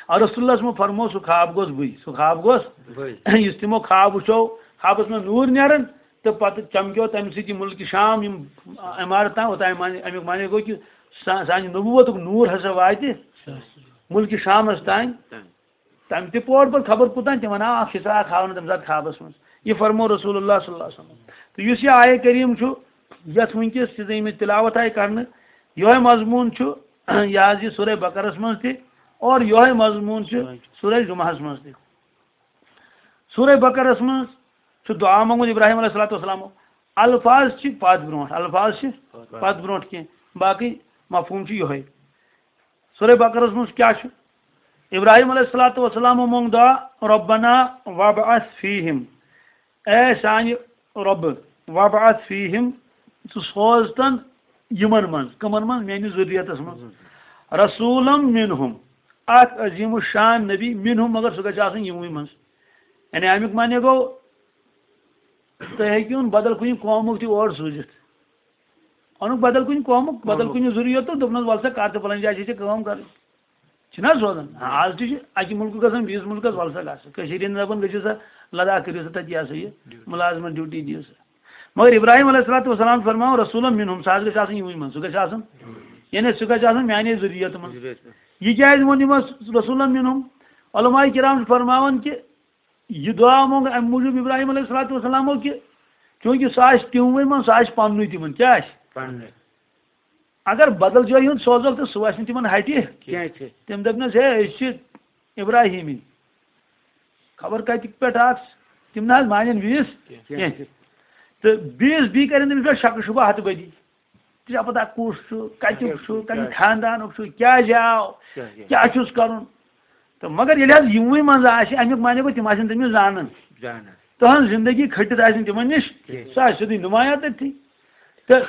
اور رسول اللہ صلی اللہ علیہ وسلمو فرموو، سُہ خواب گوٚژھ بٕے، سُہ خواب گوٚژھ بٕے۔ یُس تِمو خواب وُچھو، خوابس منٛز نوٗر نیران، تہٕ پتہٕ چمکیو تَمہِ سۭتۍ یہِ مُلکہِ شام، یِم عمارتہٕ تام، اوٚتام معنی، اَمیُک معنی گوٚو کہِ سا-، سانہِ نبوتُک نوٗر ہسا واتہِ مُلکہِ شامس تام۔ تَمہِ تہِ پوٚر پَتہٕ خبر کوٗتاہ، تِمن آو اکھ حصہٕ اکھ ہاونہٕ تَمہِ ساتہٕ خوابَس منٛز۔ یہِ فرموو رسول اللہ صلی اللہ علیہ وسلم۔ تہٕ یُس یہِ آیہِ کریم چھُ، یَتھ وٕنکیٚس یہِ زَن ییٚمِچ تِلاوت آیہِ کرنہٕ، یِہوٚے مضموٗن چھُ یہِ حظ یہِ سورہ بقرس منٛز تہِ، اور یِہوٚے مضموٗن چھُ سورہ جمعہس منٛز تہِ۔ سورہ بقرس منٛز چھُ دُعا منٛگمُت ابراہیم علیہ الصلوۃ والسلامو۔ الفاظ چھِ پتھ برونٛٹھ، الفاظ چھِ پتھ برونٛٹھ کینٛہہ، باقٕے مفہوٗم چھُ یِہوٚے۔ سورہ بقرس منٛز کیٛاہ چھُ؟ ابراہیم علیہ الصلوۃ والسلامو مونٛگ دعا، ربنا وابعث فیہم، اے سانہِ رۄبہٕ، وابعث فیہم، ژٕ سوز تن یِمن منٛز، کٕمن منٛز؟ میٲنِس ذُریتس منٛز۔ رسولم منہم، اکھ عظیم الشان نبی، منہم، مگر سُہ گژھِ آسُن یِموٕے منٛز۔ یعنی امیُک معنی گوٚو، تُہۍ ہیٚکِوُن بدل کُنہِ قومُک تہِ اور سوٗزِتھ۔ اوٚنُکھ بدل کُنہِ قومُک، بدل کُنہِ ذُریتُک، دوٚپنَس، "وَلہٕ سا کر تہٕ فلٲنۍ جایہِ چھِ ژےٚ کٲم کَرٕنۍ۔" چھِنہ سوزان؟ آز تہِ چھِ اَکہِ مُلکہٕ گژھان بیٚیِس مُلکَس، "وَلہٕ سا گژھ۔ کٔشیٖرِ ہِنٛدۍ دَپان، گٔژھِو سا لداخ، کٔرِو سا تَتہِ یہِ ہسا یہِ مُلازمَت ڈیوٹی دِیِو سا۔" مگر ابراہیم علیہ الصلوۃ والسلام فرماوان، "رسولم منہم"، سُہ حظ گژھِ آسُن یِموٕے منٛز، سُہ گژھِ آسُن، یعنی سُہ گژھِ آسُن میٛانے ذُریتہٕ منٛز۔ یہِ کیٛازِ ووٚن یِمَن رسولم منہم؟ علماء کرام چھِ فرماوان کہِ یہِ دُعا مونٛگ اَمہِ موٗجوٗب ابراہیم علیہ الصلوۃ والسلامو کہِ چوٗنٛکہِ سُہ آسہِ تِموٕے منٛز، سُہ آسہِ پننُے تِمن۔ کیٛاہ آسہِ؟ پننُے۔ اگر بدل جایہِ ہُنٛد سوزوکھ تہٕ سُہ آسہِ نہٕ تِمن ہٹہِ کینٛہہ۔ کینٛہہ۔ تِم دَپنَس، "ہے، أسۍ چھِ ابراہیٖمی۔ خبر کَتہِ پٮ۪ٹھ آکھ ژٕ؟" تِم نہ حظ مانن بیٚیِس کینٛہہ۔ کینٛہہ۔ تہٕ بیٚیِس، بیٚیہِ کَرن تٔمِس پٮ۪ٹھ شک شُبہٕ ہَتہٕ بٔدی۔ ژےٚ چھا پتہ کُس چھُ، کَتیُک چھُ، کَمہِ خاندانُک چھُ، کیٛازِ آو، کیٛاہ، کیٛاہ؟ کیٛاہ چھُس کَرُن؟ تہٕ مگر ییٚلہِ حظ یِموٕے منٛز آسہِ، اَمیُک معنی گوٚو تِم آسن تٔمِس زانان۔ زانان۔ تٕہٕنٛز زندگی کھٔٹِتھ آسہِ نہٕ تِمن نِش، کینٛہہ۔ سۄ آسہِ سیوٚدُے نُمایاں تٔتھی۔ تہٕ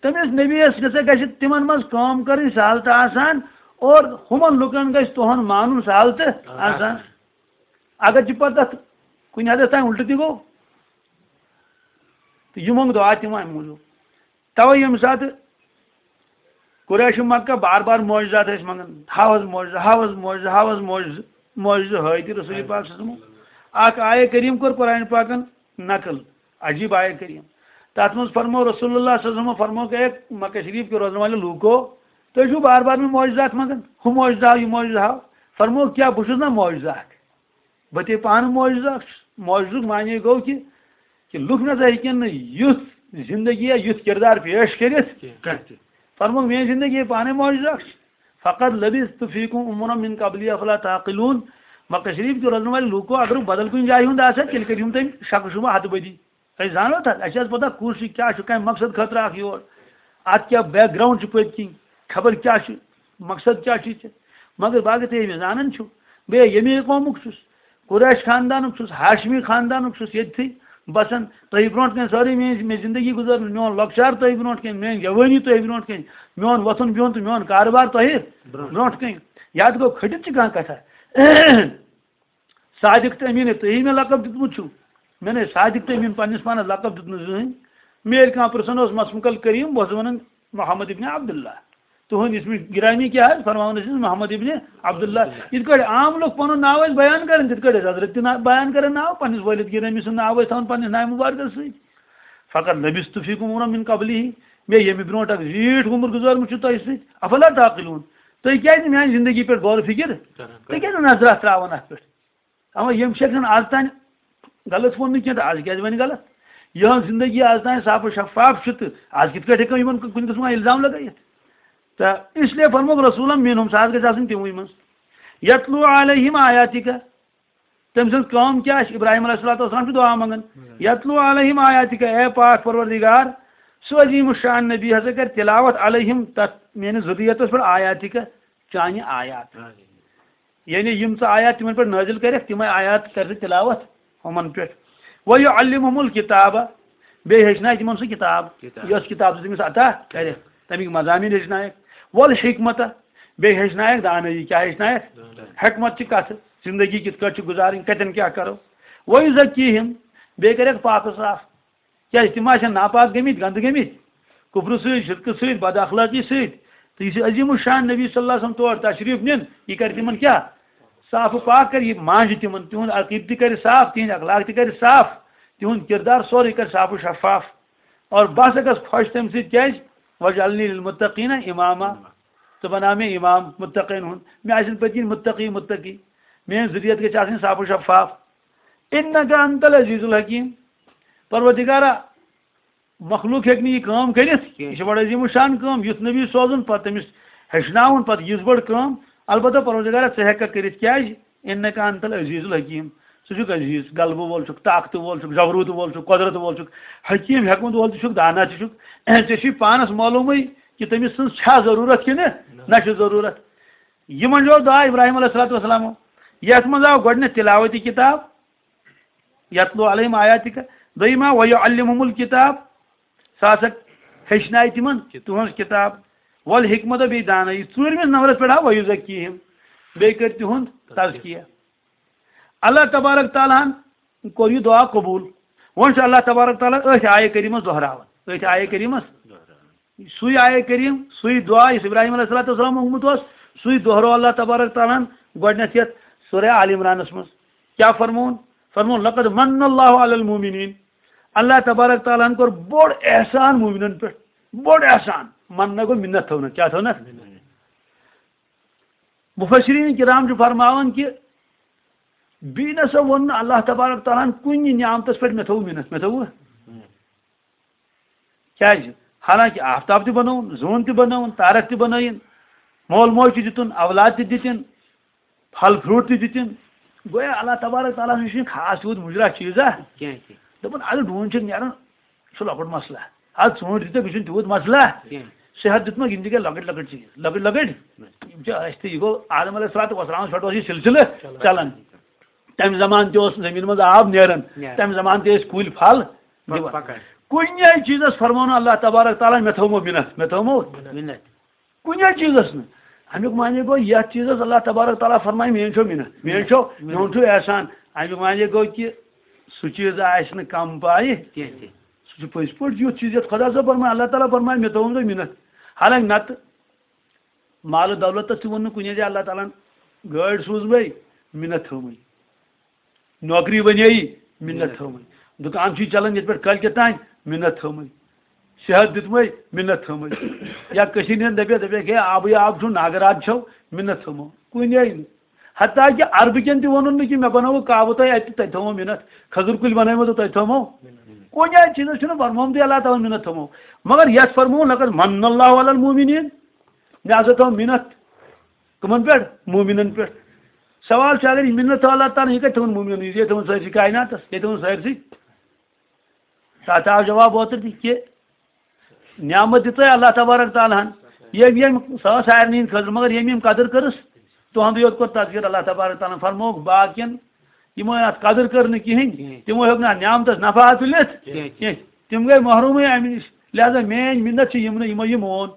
تٔمِس نبی یَس گژھِ، گژھِ تِمن منٛز کٲم کَرٕنۍ سہل تہٕ آسان، اور ہُمن لُکن گژھِ تُہُنٛد مانُن سہل تہٕ آسان۔ آسان۔ اگر چھِ پتہٕ تَتھ کُنہِ حدس تام اُلٹہٕ تہِ گوٚو، تہٕ یہِ مونٛگ دُعا تِمو اَمہِ موٗجوٗب۔ توے ییٚمہِ ساتہٕ قریش مکہ بار بار معجزات ٲسۍ منٛگان، ہاو حظ معجزٕ، ہاو حظ معجزٕ، ہاو حظ معجزٕ، معجزٕ ہٲوۍ تہِ رسول پاک صلی اللہ علیہ وسلم۔ اکھ آیے کریم کوٚر قرآن پاکن نقل، عجیب آیے کریم۔ تتھ منٛز فرموو رسول اللہ صلی اللہ علیہ وسلم، فرموو کہ اے مکہ شریف کے روزن والے لوٗکو، تُہۍ چھِو بار بار مےٚ معجزات منٛگان، ہُہ معجزٕ ہاو، یہِ معجزٕ ہاو۔ فرموو، کیٛاہ بہٕ چھُس نا معجزٕ اکھ؟ بہٕ تہِ پانہٕ معجزٕ اکھ چھُس۔ معجزُک معنی گوٚو کہِ، کہِ لُکھ نہ سا ہیٚکن نہٕ یُتھ زندگی یا یُتھ کردار پیش کٔرِتھ۔ کینٛہہ۔ فرموو، میٲنۍ زندگی ہے پانے معجزٕ اکھ چھِ۔ فقد لبثت فیکم عمرا من قبلی افلا تعقلون۔ مکہ شریف کیو روزن والے لوٗکو، اگر بدل کُنہِ جایہِ ہُنٛد آسہِ ہا، تیٚلہِ کٔرِہُن تٔمۍ شک شبہ ہتہٕ بٔدی۔ أسۍ زانو تتھ، اَسہِ چھِ حظ پتہ کُس چھُ، کیٛاہ چھُ، کمہِ مقصد خٲطرٕ اکھ یور، اتھ کیٛاہ background چھُ پٔتۍ کِنۍ، خبر کیٛاہ چھُ، مقصد کیٛاہ چھُ ژےٚ؟ مگر باقٕے تُہۍ مےٚ زانان چھِو، بہٕ ییٚمے قومُک چھُس، قریش خاندانُک چھُس، ہاشمی خاندانُک چھُس، ییٚتھی بسان۔ تۄہہِ برونٛٹھ کَنہِ سٲرٕے میٲنۍ، میٲنۍ زندگی گُزٲرمٕژ، میون لۄکچار تۄہہِ برونٛٹھ کَنہِ، میٲنۍ جوٲنی تۄہہِ برونٛٹھ کَنہِ، میون وۄتھُن بِہُن تہٕ میون کارٕبار تۄہہِ برونٛٹھ۔ برونٛٹھ کَنہِ۔ یَتھ گوٚو کھٔٹِتھ چھِ کانٛہہ کتھا؟ صادق تہٕ أمیٖن، تُہی مےٚ لقب دیُتمُت چھُو۔ مےٚ نے صادق تہٕ أمیٖن پننِس پانس لقب دیُتمُت زٕہٕنۍ۔ مےٚ ییٚلہِ کانٛہہ پرژھان اوس، مثلاً، کل کریم، بہٕ اوسُس ونان محمد ابن عبداللہ۔ تُہُنٛد اسمِ گرامی کیٛاہ حظ؟ فرماوان ٲسِس محمد ابن عبداللہ۔ یِتھ کٲٹھۍ عام لُکھ پنُن ناو ٲسۍ بیان کران، تِتھ کٲٹھۍ ٲسۍ حضرت تہِ نا-، بیان کران ناو پننِس والد گرامی سُنٛد ناو ٲسۍ تھاوان پننِس ناوِ مبارکس سۭتۍ۔ فقط لبثت فیکم عمرا من قبلہ، مےٚ ییٚمہِ برونٛٹھ اکھ زیٖٹھ عمر گُزٲرمٕژ چھُ تۄہہِ سۭتۍ۔ افلا تعقلون، تُہۍ کیٛازِ نہٕ میانہِ زندگی پٮ۪ٹھ غور و فکر، کران، تُہۍ کیٛازِ نہٕ نظرہ تراوان اتھ پٮ۪ٹھ؟ اما یِم چھِ ہٮ۪کان آز تام غلط ووٚن نہٕ کینٛہہ، تہٕ از کیٛازِ وَنہِ غلط؟ یِہٕنٛز زندگی از تام صاف و شفاف چھِ، تہٕ از کِتھ کٲٹھۍ ہٮ۪کو یِمن کُنہِ قٕسمُک الزام لگٲیِتھ؟ تہٕ اس لیے فرمووُکھ رسولن منہم، سُہ حظ گژھِ آسُن تِموٕے منٛز۔ یتلو علیہم آیاتک، تٔمۍ سٕنٛز کٲم کیٛاہ چھِ؟ ابراہیم علیہ الصلوۃ والسلام چھُ دعا منٛگان، یتلو علیہم آیاتک، اے پاک پروردگار، سُہ عظیم الشان نبی ہسا کرِ تلاوت علیہم، تتھ میٲنِس ذُریتس پٮ۪ٹھ، آیاتک، چانہِ آیات۔ یعنی یِم ژٕ آیات تِمن پٮ۪ٹھ نٲزِل کٔرِکھ، تِمے آیات کر ژٕ تلاوت یِمن پٮ۪ٹھ۔ وَیُعَلِّمُهُمُ الْکِتَابَ، بیٚیہِ ہیٚچھنایہِ تِمن سُہ کِتاب، کِتاب۔ یۄس کِتاب ژٕ تٔمِس عطا کٔرِکھ، تَمِکۍ مضامین ہیٚچھنایَکھ۔ وَالْحِکْمَتَ، بیٚیہِ ہیٚچھنایَکھ دانٲیی، کیٛاہ ہیٚچھنایَکھ؟ دانٲیی۔ حکمت چھِ کَتھٕ، زندگی کِتھ کٲٹھۍ چھِ گُزارٕنۍ، کَتٮ۪ن کیٛاہ کَرو۔ وَیُزَکِّیہِم، بیٚیہِ کَرٮ۪کھ پاک و صاف۔ کیٛازِ تِم آسن ناپاک گٔمٕتۍ، گنٛدٕ گٔمٕتۍ، کُفرٕ سۭتۍ، شرکہٕ سۭتۍ، بد اخلٲقی سۭتۍ۔ تہٕ یُس یہِ عظیم الشان نبی صلی اللہ علیہ وسلم تور تشریف نِن، یہِ کرِ تِمن کیٛاہ؟ صاف و پاک کرِ، یہِ مانجہِ تِمن، تِہُنٛد عقیدٕ تہِ کرِ صاف، تِہنٛدۍ اخلاق تہِ کرِ صاف، تِہُنٛد کردار سورُے کرِ صاف و شفاف۔ اور بہٕ ہسا گژھٕ خۄش تَمہِ سۭتۍ، کیٛازِ؟ وَاجْعَلْنِی لِلْمُتَّقِینَ اِمَامًا۔ ژٕ بناو مےٚ امام متقین ہُنٛد، مےٚ آسن پٔتۍ کِنۍ متقی متقی، میٲنۍ ذُریت گژھِ آسٕنۍ صاف و شفاف۔ اِنَّکَ اَنتَ الْعَزِیزُ الْحَکیٖم۔ پروردگارا، مخلوق ہیٚکہِ نہٕ یہِ کٲم کٔرِتھ۔ کینٛہہ۔ یہِ چھِ بڑٕ عظیٖم الشان کٲم، یُتھ نبی سوزُن، پتہٕ تٔمِس ہیٚچھناوُن، پتہٕ یِژھ بٔڑ کٲم۔ البتہ پروردگارا، ژٕ ہیٚککھ کٔرِتھ۔ کیٛازِ؟ اِنَّکَ اَنتَ الْعَزِیزُ الْحَکیٖم۔ ژٕ چھُکھ عزیٖز، غلبہٕ وول چھُکھ، طاقتہٕ وول چھُکھ، جبروٗت وول چھُکھ، قۄدرت وول چھُکھ، حکیٖم، حکمت وول تہِ چھُکھ، دانا تہِ چھُکھ۔ ژےٚ چھُے پانس معلوٗمٕے کہِ تٔمِس سٕنٛز چھا ضروٗرت کِنہٕ نہ چھِ ضروٗرت۔ یہِ منٛز چھُ دعا ابراہیم علیہ الصلوۃ والسلام، یتھ منٛز آو گۄڈٕنیتھ تلاوتی کتاب، یتلو علیہم آیاتک، دوٚیِم آو ویعلمہم الکتاب، سُہ ہسا ہیٚچھنایہِ تِمن تُہنٛز کتاب، والحکمت، بیٚیہِ دانٲیی۔ ژوٗرمِس نمبرس پٮ۪ٹھ آو ویزکیہم، بیٚیہِ کٔرۍ تِہُنٛد تزکیہ۔ اللہ تبارک تعالیٰ ہن کوٚر یہِ دعا قبوٗل۔ وۄنۍ چھُ اللہ تبارک تعالیٰ أتھۍ آیہِ کریٖمس دۄہراوان، أتھۍ آیہِ کریٖمس۔ سُے آیہِ کریم، سُے دعا یُس ابراہیم علیہ الصلوۃ والسلام مونگمُت اوس، سُے دۄہرو اللہ تبارک تعالیٰ ہن گۄڈٕنیتھ یتھ سورہ آل عمرانس منٛز۔ کیٛاہ فرمووُن؟ فرمووُن، لقد من اللہ علی المومنین۔ اللہ تبارک تعالیٰ ہن کوٚر بوٚڑ احسان مومنن پٮ۪ٹھ، بوٚڑ احسان۔ مننا گوٚو مِنت تھاونس، کیٛاہ تھاونس؟ مفسرین کرام چھِ فرماوان کہِ بیٚیہِ نسا ووٚن نہٕ اللہ تبارک تعالیٰ ہن کُنہِ نعمتس پٮ۪ٹھ مےٚ تھوٚو مِنت، مےٚ تھوٚو۔ کیٛازِ؟ حالانکہ آفتاب تہِ بنووُن، زوٗن تہِ بنٲوٕن، تارک تہِ بنٲیِن، مول موج تہِ دِتُن، اولاد تہِ دِتِن، پھل فروٹ تہِ دِتِن۔ گویا اللہ تبارک تعالیٰ ہن چھُنہٕ خاص تیوٗت مُجرا چیٖزا۔ کینٛہہ، کینٛہہ۔ دوٚپُن، اَدٕ ڈوٗنۍ چھِ نیران، سُہ لۄکُٹ مسلہٕ۔ اَدٕ ژوٗنٛٹھۍ دِتکھ، یہِ چھُنہٕ تیوٗت مسلہٕ۔ کینٛہہ۔ صحت دیُتمَکھ، یِم تہِ گٔے لۄکٕٹۍ لۄکٕٹۍ چیٖز، لۄکٕٹۍ لۄکٕٹۍ۔ یِم چھِ اَسہِ تہِ، یہِ گوٚو آدم علیہ الصلوۃ والسلامَس پٮ۪ٹھ اوس یہِ سلسلہٕ چلان۔ چلان۔ تَمہِ زمانہٕ تہِ اوس زٔمیٖن منٛز آب نیران، نیران۔ تَمہِ زمانہٕ تہِ ٲسۍ کُلۍ پھل پَ-، دِوان۔ پَکان۔ کُنہِ جایہِ چیٖزَس فرموو نہٕ اللہ تبارک تعالیٰ ہن، مےٚ تھوٚومو مِنت، مےٚ تھوٚومو۔ مِنت۔ کُنہِ جایہِ چیٖزَس نہٕ۔ اَمیُک معنی گوٚو، یَتھ چیٖزَس اللہ تبارک تعالیٰ فرمایہِ، میٲنۍ چھو مِنت، میٲنۍ چھو، میون چھُ احسان۔ اَمیُک معنی گوٚو کہِ سُہ چیٖز آسہِ نہٕ کَم پایہِ۔ کینٛہہ تہِ۔ سُہ چھُ پٔزۍ پٲٹھۍ یُتھ چیٖز، یَتھ خۄدا صٲب فرمایہِ، اللہ تعالیٰ فرمایہِ، مےٚ تھوٚوُم تۄہہِ مِنت۔ حالانکہ نَتہٕ مال و دولتس تہِ ووٚن نہٕ کُنے زِ اللہ تعالیٰ ہن گٲڑۍ سوٗزوے، مِنت تھٲومٕے۔ نوکری بنے، مِنت تھٲومٕے۔ دُکان چھُے چلان ییٚتہِ پٮ۪ٹھ کٲلۍ کٮ۪تھ تام، مِنت تھٲومٕے۔ صحت دیُتمٕے، مِنت تھٲومٕے۔ یا کٔشیٖرِ ہِنٛدۍ دَپے، دَپے، ہے، آبٕے آب چھُ، ناگہٕ راتھ چھَو، مِنت تھٲومو۔ کُنے نہٕ۔ حتیٰ کہِ عربہٕ کٮ۪ن تہِ ووٚنُن نہٕ کہِ مےٚ بنووُ کعبہٕ تۄہہِ اَتہِ، تۄہہِ تھٲومو مِنت۔ کھٔزٕر کُلۍ بنٲومو تہٕ تۄہہِ تھٲومو۔ کُنہِ جایہِ چیٖزس چھُنہٕ فرمومتُے اللہ تعالیٰ ہن مِنت تھٲومو۔ مگر یَتھ فرمووُن، لقد من اللہ علی المومنین۔ مےٚ ہسا تھٲو مِنت۔ کٕمن پٮ۪ٹھ؟ مومنن پٮ۪ٹھ۔ سوال چھُ، اگر یہِ مِنت تھٲو اللہ تعالیٰ ہن، یہِ کتہِ تھٲوٕن مومنن؟ یہِ تھٲوٕن سٲرسٕے کائناتس، یہِ تھٲوٕن سٲرسٕے۔ تتھ آو جواب اوترٕ تہِ کہِ نعمت دِژے اللہ تبارک تعالیٰ ہن۔ ییٚمۍ، ییٚمۍ، سۄ ٲس سارنٕے ہٕنٛدِ خٲطرٕ، مگر ییٚمۍ، ییٚمۍ قدٕر کٔرٕس، تُہُنٛدُے یوت کوٚر تذکر اللہ تبارک تعالیٰ ہن۔ فرمووُکھ باقین، یِمو اتھ قدٕر کٔر نہٕ کِہینۍ، کِہینۍ۔ تِمو ہیوٚک نہٕ اتھ نعمتس نفع حٲصِل یِتھ کِہینۍ۔ کینٛہہ۔ تِم گٔے محرومٕے امہِ نِش۔ لہذا میٲنۍ مِنت چھِ یِمنٕے، یِمو یہِ مون۔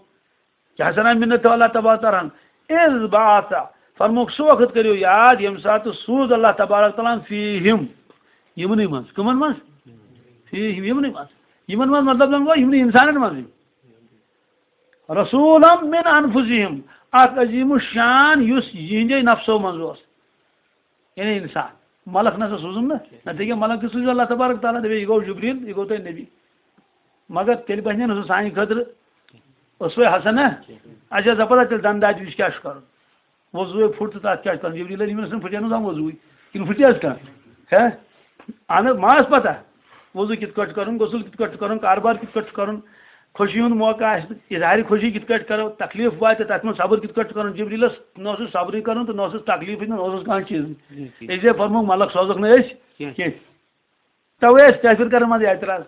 کیٛاہ سنا مِنت تھٲو اللہ تبارک تعالیٰ ہن؟ اِذ بعث، فرمووُکھ سُہ وقت کٔرِو یاد، ییٚمہِ ساتہٕ سوٗز اللہ تبارک تعالیٰ ہن فیہم، یِمنٕے منٛز۔ کٕمن منٛز؟ فیہم، یِمنٕے منٛز۔ یِمن منٛز مطلب زن گوٚو یِمنٕے انسانن منٛز۔ رسولا من انفسہم، اکھ عظیم الشان یُس یِہنٛدے نفسو منٛز اوس۔ یعنی انسان۔ ملک نسا سوٗزُن نہٕ۔ نہ تہِ کیٛاہ، ملک تہِ سوٗزِو اللہ تبارک تعالیٰ، دَپہِ، یہِ گوٚو جبریل، یہِ گوٚو تۄہہِ نبی۔ مگر تیٚلہِ بنہِ نہٕ سُہ سانہِ خٲطرٕ اسوہ حسنہ۔ اچھا، ژٕ پتہ تیٚلہِ دنٛدٕ دادِ وِزِ کیٛاہ چھُ کرُن؟ وضوٗے پھُٹ تہٕ تتھ کیٛاہ چھُ کرُن؟ جبریل علیہ السلام پھُٹے نہٕ زانٛہہ وضوٗے۔ کِنہٕ پھُٹے حظ کانٛہہ؟ ہے؟ اہن حظ، ما ٲس پتہ؟ وضو کِتھ کٲٹھۍ چھُ کرُن، غسل کِتھ کٲٹھۍ چھُ کرُن، کاربار کِتھ کٲٹھۍ چھُ کرُن، خوشی ہُنٛد موقع آسہِ، اظہارِ خوشی کِتھ کٲٹھۍ کرو، تکلیف واتہِ، تتھ منٛز صبر کِتھ کٲٹھۍ چھُ کرُن۔ جبریلس نہ اوسُس صبرٕے کرُن تہٕ نہ اوسُس تکلیفٕے، نہ اوسُس کانٛہہ چیٖز۔ جی، جی۔ اس لیے فرمووُکھ، ملک سوزکھ نہٕ أسۍ کینٛہہ۔ کینٛہہ۔ توے ٲسۍ کٲفر کران منٛز اعتراض،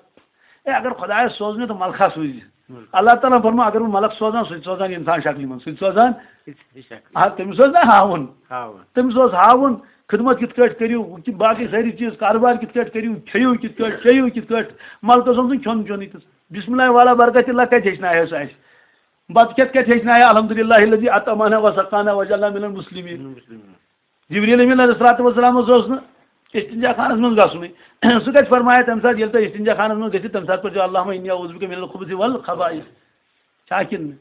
اے، اگر خدایس سوز مےٚ تہٕ ملکھا سوٗزِ۔ ہُم۔ اللہ تعالیٰ فرموو، اگر بہٕ ملک سوزان، سُہ تہِ سوزان انسان شکلہِ منٛز، سُہ تہِ سوزان۔ یہِ چھِ شکلہِ۔ آ، تٔمِس اوس نہ ہاوُن۔ ہاوُن۔ تٔمِس اوس ہاوُن، خدمت کِتھ کٲٹھۍ کٔرِو، کہِ باقٕے سٲری چیٖز، کاربار کِتھ کٲٹھۍ کٔرِو، کھیٚیِو کِتھ کٲٹھۍ، چیٚیِو کِتھ کٲٹھۍ۔ ملکس اوس نہٕ کھیوٚن چیوٚنُے تہٕ بسم اللہ والا برکت اللہ کتہِ ہیٚچھنایو سُہ اَسہِ؟ بتہٕ کھٮ۪تھ کتہِ ہیٚچھنایو؟ الحمدللہ الذی اطعمنا وسقانا وجعلنا من المسلمین۔ مسلمین۔ جبریل امین علیہ الصلوۃ والسلام اوس نہٕ استنجا خانس منٛز گژھنُے۔ سُہ کتہِ فرمایہِ تمہِ ساتہٕ، ییٚلہِ تُہۍ استنجا خانس منٛز گٔژھِو، تمہِ ساتہٕ پٔرۍزیو اللہم انی اعوذ بک من الخبث والخبائث۔ چھا کِنہٕ نہٕ؟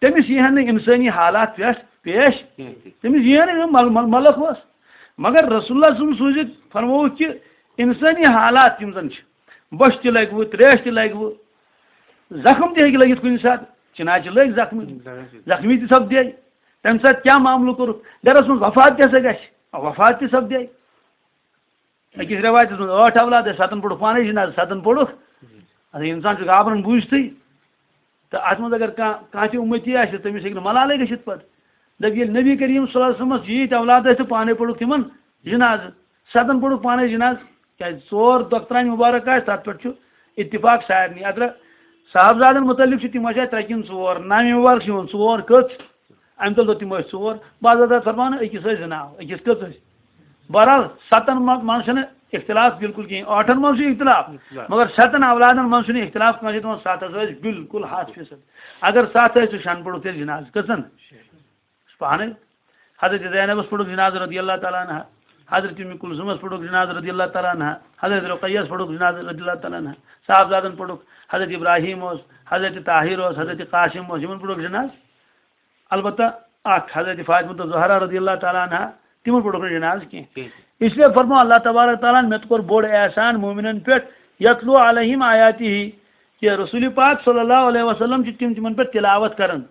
تٔمِس یی ہا نہٕ انسٲنی حالات پٮ۪ٹھ پیش، کینٛہہ تہِ۔ تٔمِس یی ہا نہٕ مل-، مل-، ملک اوس۔ مگر رسول اللہ صلی اللہ علیہ وسلم سوٗزِتھ فرمووُکھ کہِ انسٲنی حالات یِم زن چھِ، بۄچھِ تہِ لگوٕ، تریش تہِ لگوٕ، زخم تہِ ہیٚکہِ لٔگِتھ کُنہِ ساتہٕ، چِناچہِ لٔگۍ زخمی، زخمی تہِ سپدے۔ تمہِ ساتہٕ کیٛاہ معاملہٕ کوٚرُکھ؟ گرس منٛز وفات تہِ ہسا گژھِ، وفات تہِ سپدے۔ أکِس رٮ۪وایتَس منٛز ٲٹھ اولاد ٲسۍ، سَتَن پوٚرُکھ پانَے جنازٕ، سَتَن پوٚرُکھ۔ اَدٕ اِنسان چھُ گابران بوٗزتھٕے۔ تہٕ اَتھ منٛز اگر کانٛہہ، کانٛہہ تہِ اُمتی آسہِ، تٔمِس ہیٚکہِ نہٕ ملالٕے گٔژھِتھ پَتہٕ۔ دَپہِ، ییٚلہِ نبی کریم صلی اللہ علیہ وسلمَس ییٖتۍ اولاد ٲسۍ تہٕ پانَے پوٚرُکھ تِمَن جنازٕ، سَتَن پوٚرُکھ پانَے جنازٕ، کیٛازِ ژور دۄخترانہِ مُبارک آسہِ، تَتھ پٮ۪ٹھ چھُ اتفاق سارنٕے۔ اگر صاحبزادَن مُتعلِق چھُ، تِم ٲسۍ اَتہِ ترٛےٚ کِنہٕ ژور، ناوِ مُبارک چھِ یِوان ژور، کٔژ؟ اَمہِ تَل دوٚپ تِمو أسۍ ژور۔ بعض حضرات فرماوان أکِس ٲسۍ زٕ ناو، أکِس کٔژ ٲسۍ؟ بہرحال، سَتَن منٛز، منٛز چھُنہٕ اختلاف بالکل کِہیٖنۍ، ٲٹھَن منٛز چھُ اختلاف، اختلاف۔ مگر سَتَن اولادَن منٛز چھُنہٕ اختلاف کٲنٛسہِ، دَپان سَتھ حظ ٲسۍ بالکل ہَتھ فیٖصد۔ اگر سَتھ ٲسۍ، تہٕ شٮ۪ن پوٚرُکھ تیٚلہِ جنازٕ۔ کٔژَن؟ پانَے۔ حضرت زینبَس پوٚرُکھ جنازٕ رضی اللہ تعالیٰ عنہا، حضرت اُمِ کلثومَس پوٚرُکھ جنازٕ رضی اللہ تعالیٰ عنہا، حضرت رقیَس پوٚرُکھ جنازٕ رضی اللہ تعالیٰ عنہا، صاحبزادَن پوٚرُکھ، حضرت ابراہیم اوس، حضرت طاہر اوس، حضرت قاسم اوس، یِمَن پوٚرُکھ جنازٕ۔ البتہ اکھ حضرت فاطمہ الزہرا رضی اللہ تعالیٰ عنہا، تِمن پوٚرُکھ نہٕ جنازٕ کینٛہہ۔ کینٛہہ۔ اس لیے فرمو اللہ تبارک تعالیٰ ہن، مےٚ کوٚر بوٚڑ احسان مومنن پٮ۪ٹھ، یتلو علیہم آیاتہ، کہ رسول پاک صلی اللہ علیہ وسلم چھِ تِم تِمن پٮ۪ٹھ تلاوت کران۔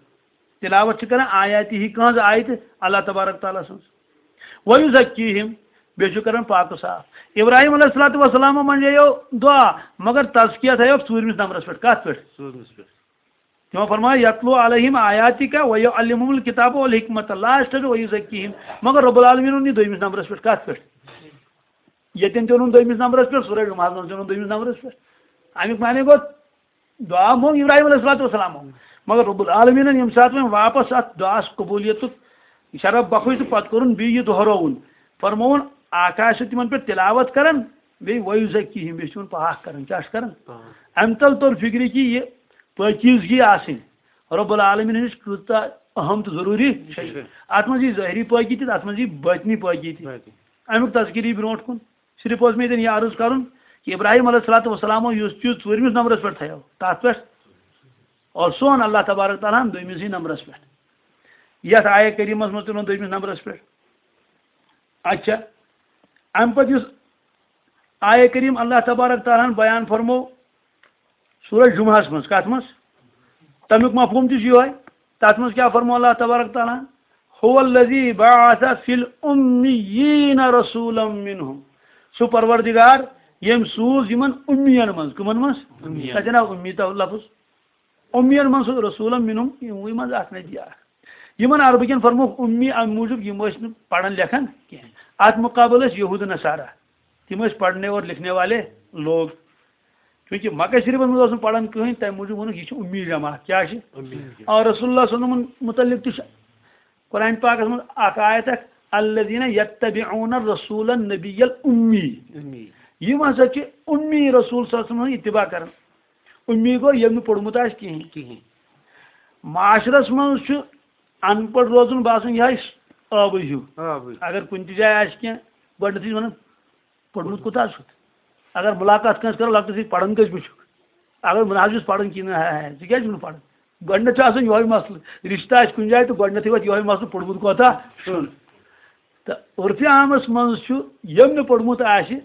تلاوت چھِ کران آیاتہ، کٕہٕنٛز آیتہٕ؟ اللہ تبارک تعالیٰ سٕنٛز۔ ویزکیہم، بیٚیہِ چھُ کران پاک و صاف۔ ابراہیم علیہ الصلوۃ والسلام منٛز یِیو دعا، مگر تزکیہ تھایو ژوٗرمِس نمبرس پٮ۪ٹھ۔ کتھ پٮ۪ٹھ؟ ژوٗرمِس پٮ۪ٹھ۔ تِمو فرمایہِ، یتلو علیہم آیاتک و یعلمہم الکتاب والحکمۃ۔ لاسٹس ویزکیہم۔ مگر رب العالمین اوٚن یہِ دوٚیمِس نمبرس پٮ۪ٹھ۔ کتھ پٮ۪ٹھ؟ ییٚتٮ۪ن تہِ اوٚنُن دوٚیمِس نمبرس پٮ۪ٹھ، سورہ جمعہس منٛز تہِ اوٚنُن دوٚیمِس نمبرس پٮ۪ٹھ۔ امیُک معنی گوٚو، دعا منٛگ ابراہیم علیہ الصلوۃ والسلام۔ مگر رب العالمینن ییٚمہِ ساتہٕ وۄنۍ واپس اتھ دعاس قبولیتُک شرف بخش تہٕ پتہٕ کوٚرُن بیٚیہِ یہِ دۄہراوُن، فرمووُن، آکاش چھُ تِمن پٮ۪ٹھ تلاوت کران، بیٚیہِ ویزکیہم، بیٚیہِ چھُ تِمن پاک کران۔ کیٛاہ چھُ کران؟ پاک۔ امہِ تل توٚر فکرِ کہِ یہِ پٲکیزگی آسٕنۍ رب العالمین ہٕنٛز کۭژاہ اہم تہٕ ضروٗری چھےٚ۔ چھےٚ۔ اتھ منٛز یی ظٲہری پٲکی تہِ، اتھ منٛز یی باطنی پٲکی تہِ۔ باقٕے۔ امیُک تذکر یی برونٛٹھ کُن۔ صرف اوس مےٚ ییٚتٮ۪ن یہِ عرض کرُن کہِ ابراہیم علیہ الصلوۃ والسلام اوس یُس چیٖز ژوٗرمِس نمبرس پٮ۪ٹھ تھایو، تتھ پٮ۪ٹھ اور سون اللہ تبارک تعالیٰ ہن دوٚیمِسٕے نمبرس پٮ۪ٹھ۔ یتھ آیہ کریمس منٛز تُلُن دوٚیمِس نمبرس پٮ۪ٹھ۔ اچھا، امہِ پتہٕ یُس آیہ کریم اللہ تبارک تعالیٰ ہن بیان فرمو سورہ جمعہس منٛز، کتھ منٛز؟ تمیُک مفہوم تہِ چھُ یِہوے۔ تتھ منٛز کیٛاہ فرمو اللہ تبارک تعالیٰ ہن؟ هو الذی بعث فی الامیین رسولا منہم۔ سُہ پروردگار ییٚمۍ سوٗز یِمن اُمین منٛز۔ کٕمن منٛز؟ اُمین۔ تتٮ۪ن آو اُمی تہٕ لفظ۔ اُمین منٛز سُہ رسولا منہم، یِموٕے منٛز اکھ نبی اکھ۔ یِمن عربہٕ کٮ۪ن فرمووُکھ اُمی امہِ موٗجوٗب یِم ٲسۍ نہٕ پران لیکھان کینٛہہ۔ اتھ مقابلہٕ ٲسۍ یہود نصارہ۔ تِم ٲسۍ پڑھنے اور لکھنے والے لوگ۔ چونکہ مکہ شریفس منٛز اوس نہٕ پران کٕہٕنۍ، تمہِ موٗجوٗب ووٚنُکھ، یہِ چھُ اُمی جماعت۔ کیٛاہ چھِ؟ اُمی جماعت۔ اور رسول اللہ صلی اللہ علیہ وسلمن متعلق تہِ چھُ قرآن پاکس منٛز اکھ آیت اکھ، الذین یتبعون الرسول النبی الامی۔ امی۔ یِم ہسا چھِ اُمی رسول صلی اللہ علیہ وسلم ہُنٛد اتباع کران۔ اُمی گوٚو ییٚمۍ نہٕ پوٚرمُت آسہِ کِہیٖنۍ۔ کِہیٖنۍ۔ معاشرس منٛز چھُ ان پڑھ روزُن باسان یِہوٚے ٲبٕے ہیوٗ۔ ٲبٕے۔ اگر کُنہِ تہِ جایہِ آسہِ کینٛہہ، گۄڈٕنیتھٕے چھِ ونان، پوٚرمُت کوٗتاہ چھُتھ؟ اگر مُلاقات کٲنٛسہِ کرو، لۄکٹِس سۭتۍ، پران کٔژِ بہٕ چھُکھ؟ اگر بہٕ نہ حظ چھُس پران کِہیٖنۍ، ہے، ہے، ژٕ کیٛازِ چھُکھ نہٕ پران؟ گۄڈٕنیتھ چھُ آسان یِہوٚے مسلہٕ، رشتہٕ آسہِ کُنہِ جایہِ تہٕ گۄڈٕنیتھٕے وَتہِ یِہوٚے مسلہٕ، پوٚرمُت کوٗتاہ چھُن؟ تہٕ عرفِ عامس منٛز چھُ، ییٚمۍ نہٕ پوٚرمُت آسہِ،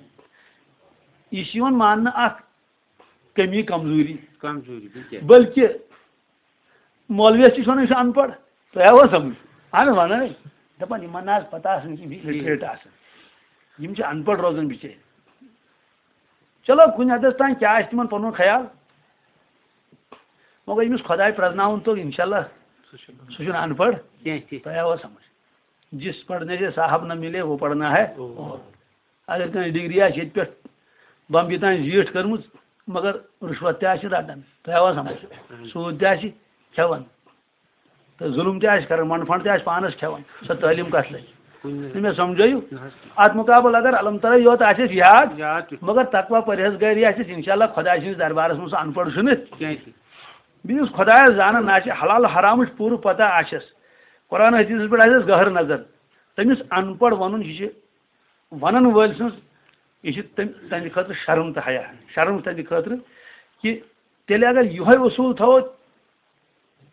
یہِ چھُ یِوان ماننہٕ اکھ کمی، کمزوری۔ کمزوری، بِلکُل۔ بلکہِ مولویس تہِ چھِ ونان، یہِ چھُ ان پڑھ۔ تۄہہِ آوا سمجھ؟ اہن حظ، ونان ہے۔ دپان، یِمن نہ حظ پتہ آسان کینٛہہ، یِم چھِ لٹریٹ آسان۔ یِم چھِ ان پڑھ روزان بِچٲرۍ۔ چلو، کُنہِ حدس تام کیٛاہ آسہِ تِمن پنُن خیال، مگر ییٚمِس خۄداے پرٛزناوُن توٚگ، انشاءاللہ، سُہ چھُنہٕ، سُہ چھُنہٕ ان پڑھ۔ کینٛہہ تہِ۔ تۄہہِ آوا سمجھ؟ جس پڑھنے سے صاحب نہ ملے، وہ پڑھنا ہے۔ او۔ اگر کانٛہہ ڈگری آسہِ ییٚتہِ پٮ۪ٹھ بمبی تام زیٖٹھ کٔرمٕژ، مگر رُشوت تہِ آسہِ رٹان، تۄہہِ آوا سمجھ؟ اہن۔ سوٗد تہِ آسہِ کھٮ۪وان۔ تہٕ ظُلُم تہِ آسہِ کران، منٛڈ فنٛڈ تہِ آسہِ پانس کھٮ۪وان، سۄ تعلیٖم کتھ لگہِ؟ کُنہِ نہٕ مےٚ سمجھٲیِو؟ نہ حظ۔ اتھ مُقابل اگر علم ترے یوت آسٮ۪س یاد، یاد تہِ۔ مگر تقوی پرہیزگٲری آسٮ۪س، انشاءاللہ خۄداے سٕنٛدِس دربارس منٛز سُہ ان پڑھ چھُنہٕ۔ کینٛہہ تہِ۔ بیٚیہِ یُس خۄدایس زانان آسہِ، حلال حرامٕچ پوٗرٕ پتہ آسٮ۪س، قرآن حدیثس پٮ۪ٹھ آسٮ۪س گہر نظر، تٔمِس ان پڑھ ونُن، یہِ چھِ ونن وٲلۍ سٕنٛز، یہِ چھِ تٔمۍ، تٔہنٛدِ خٲطرٕ شرم تہٕ حیا۔ شرم چھُ تٔہنٛدِ خٲطرٕ کہِ تیٚلہِ اگر یِہوے اصوٗل تھاوو،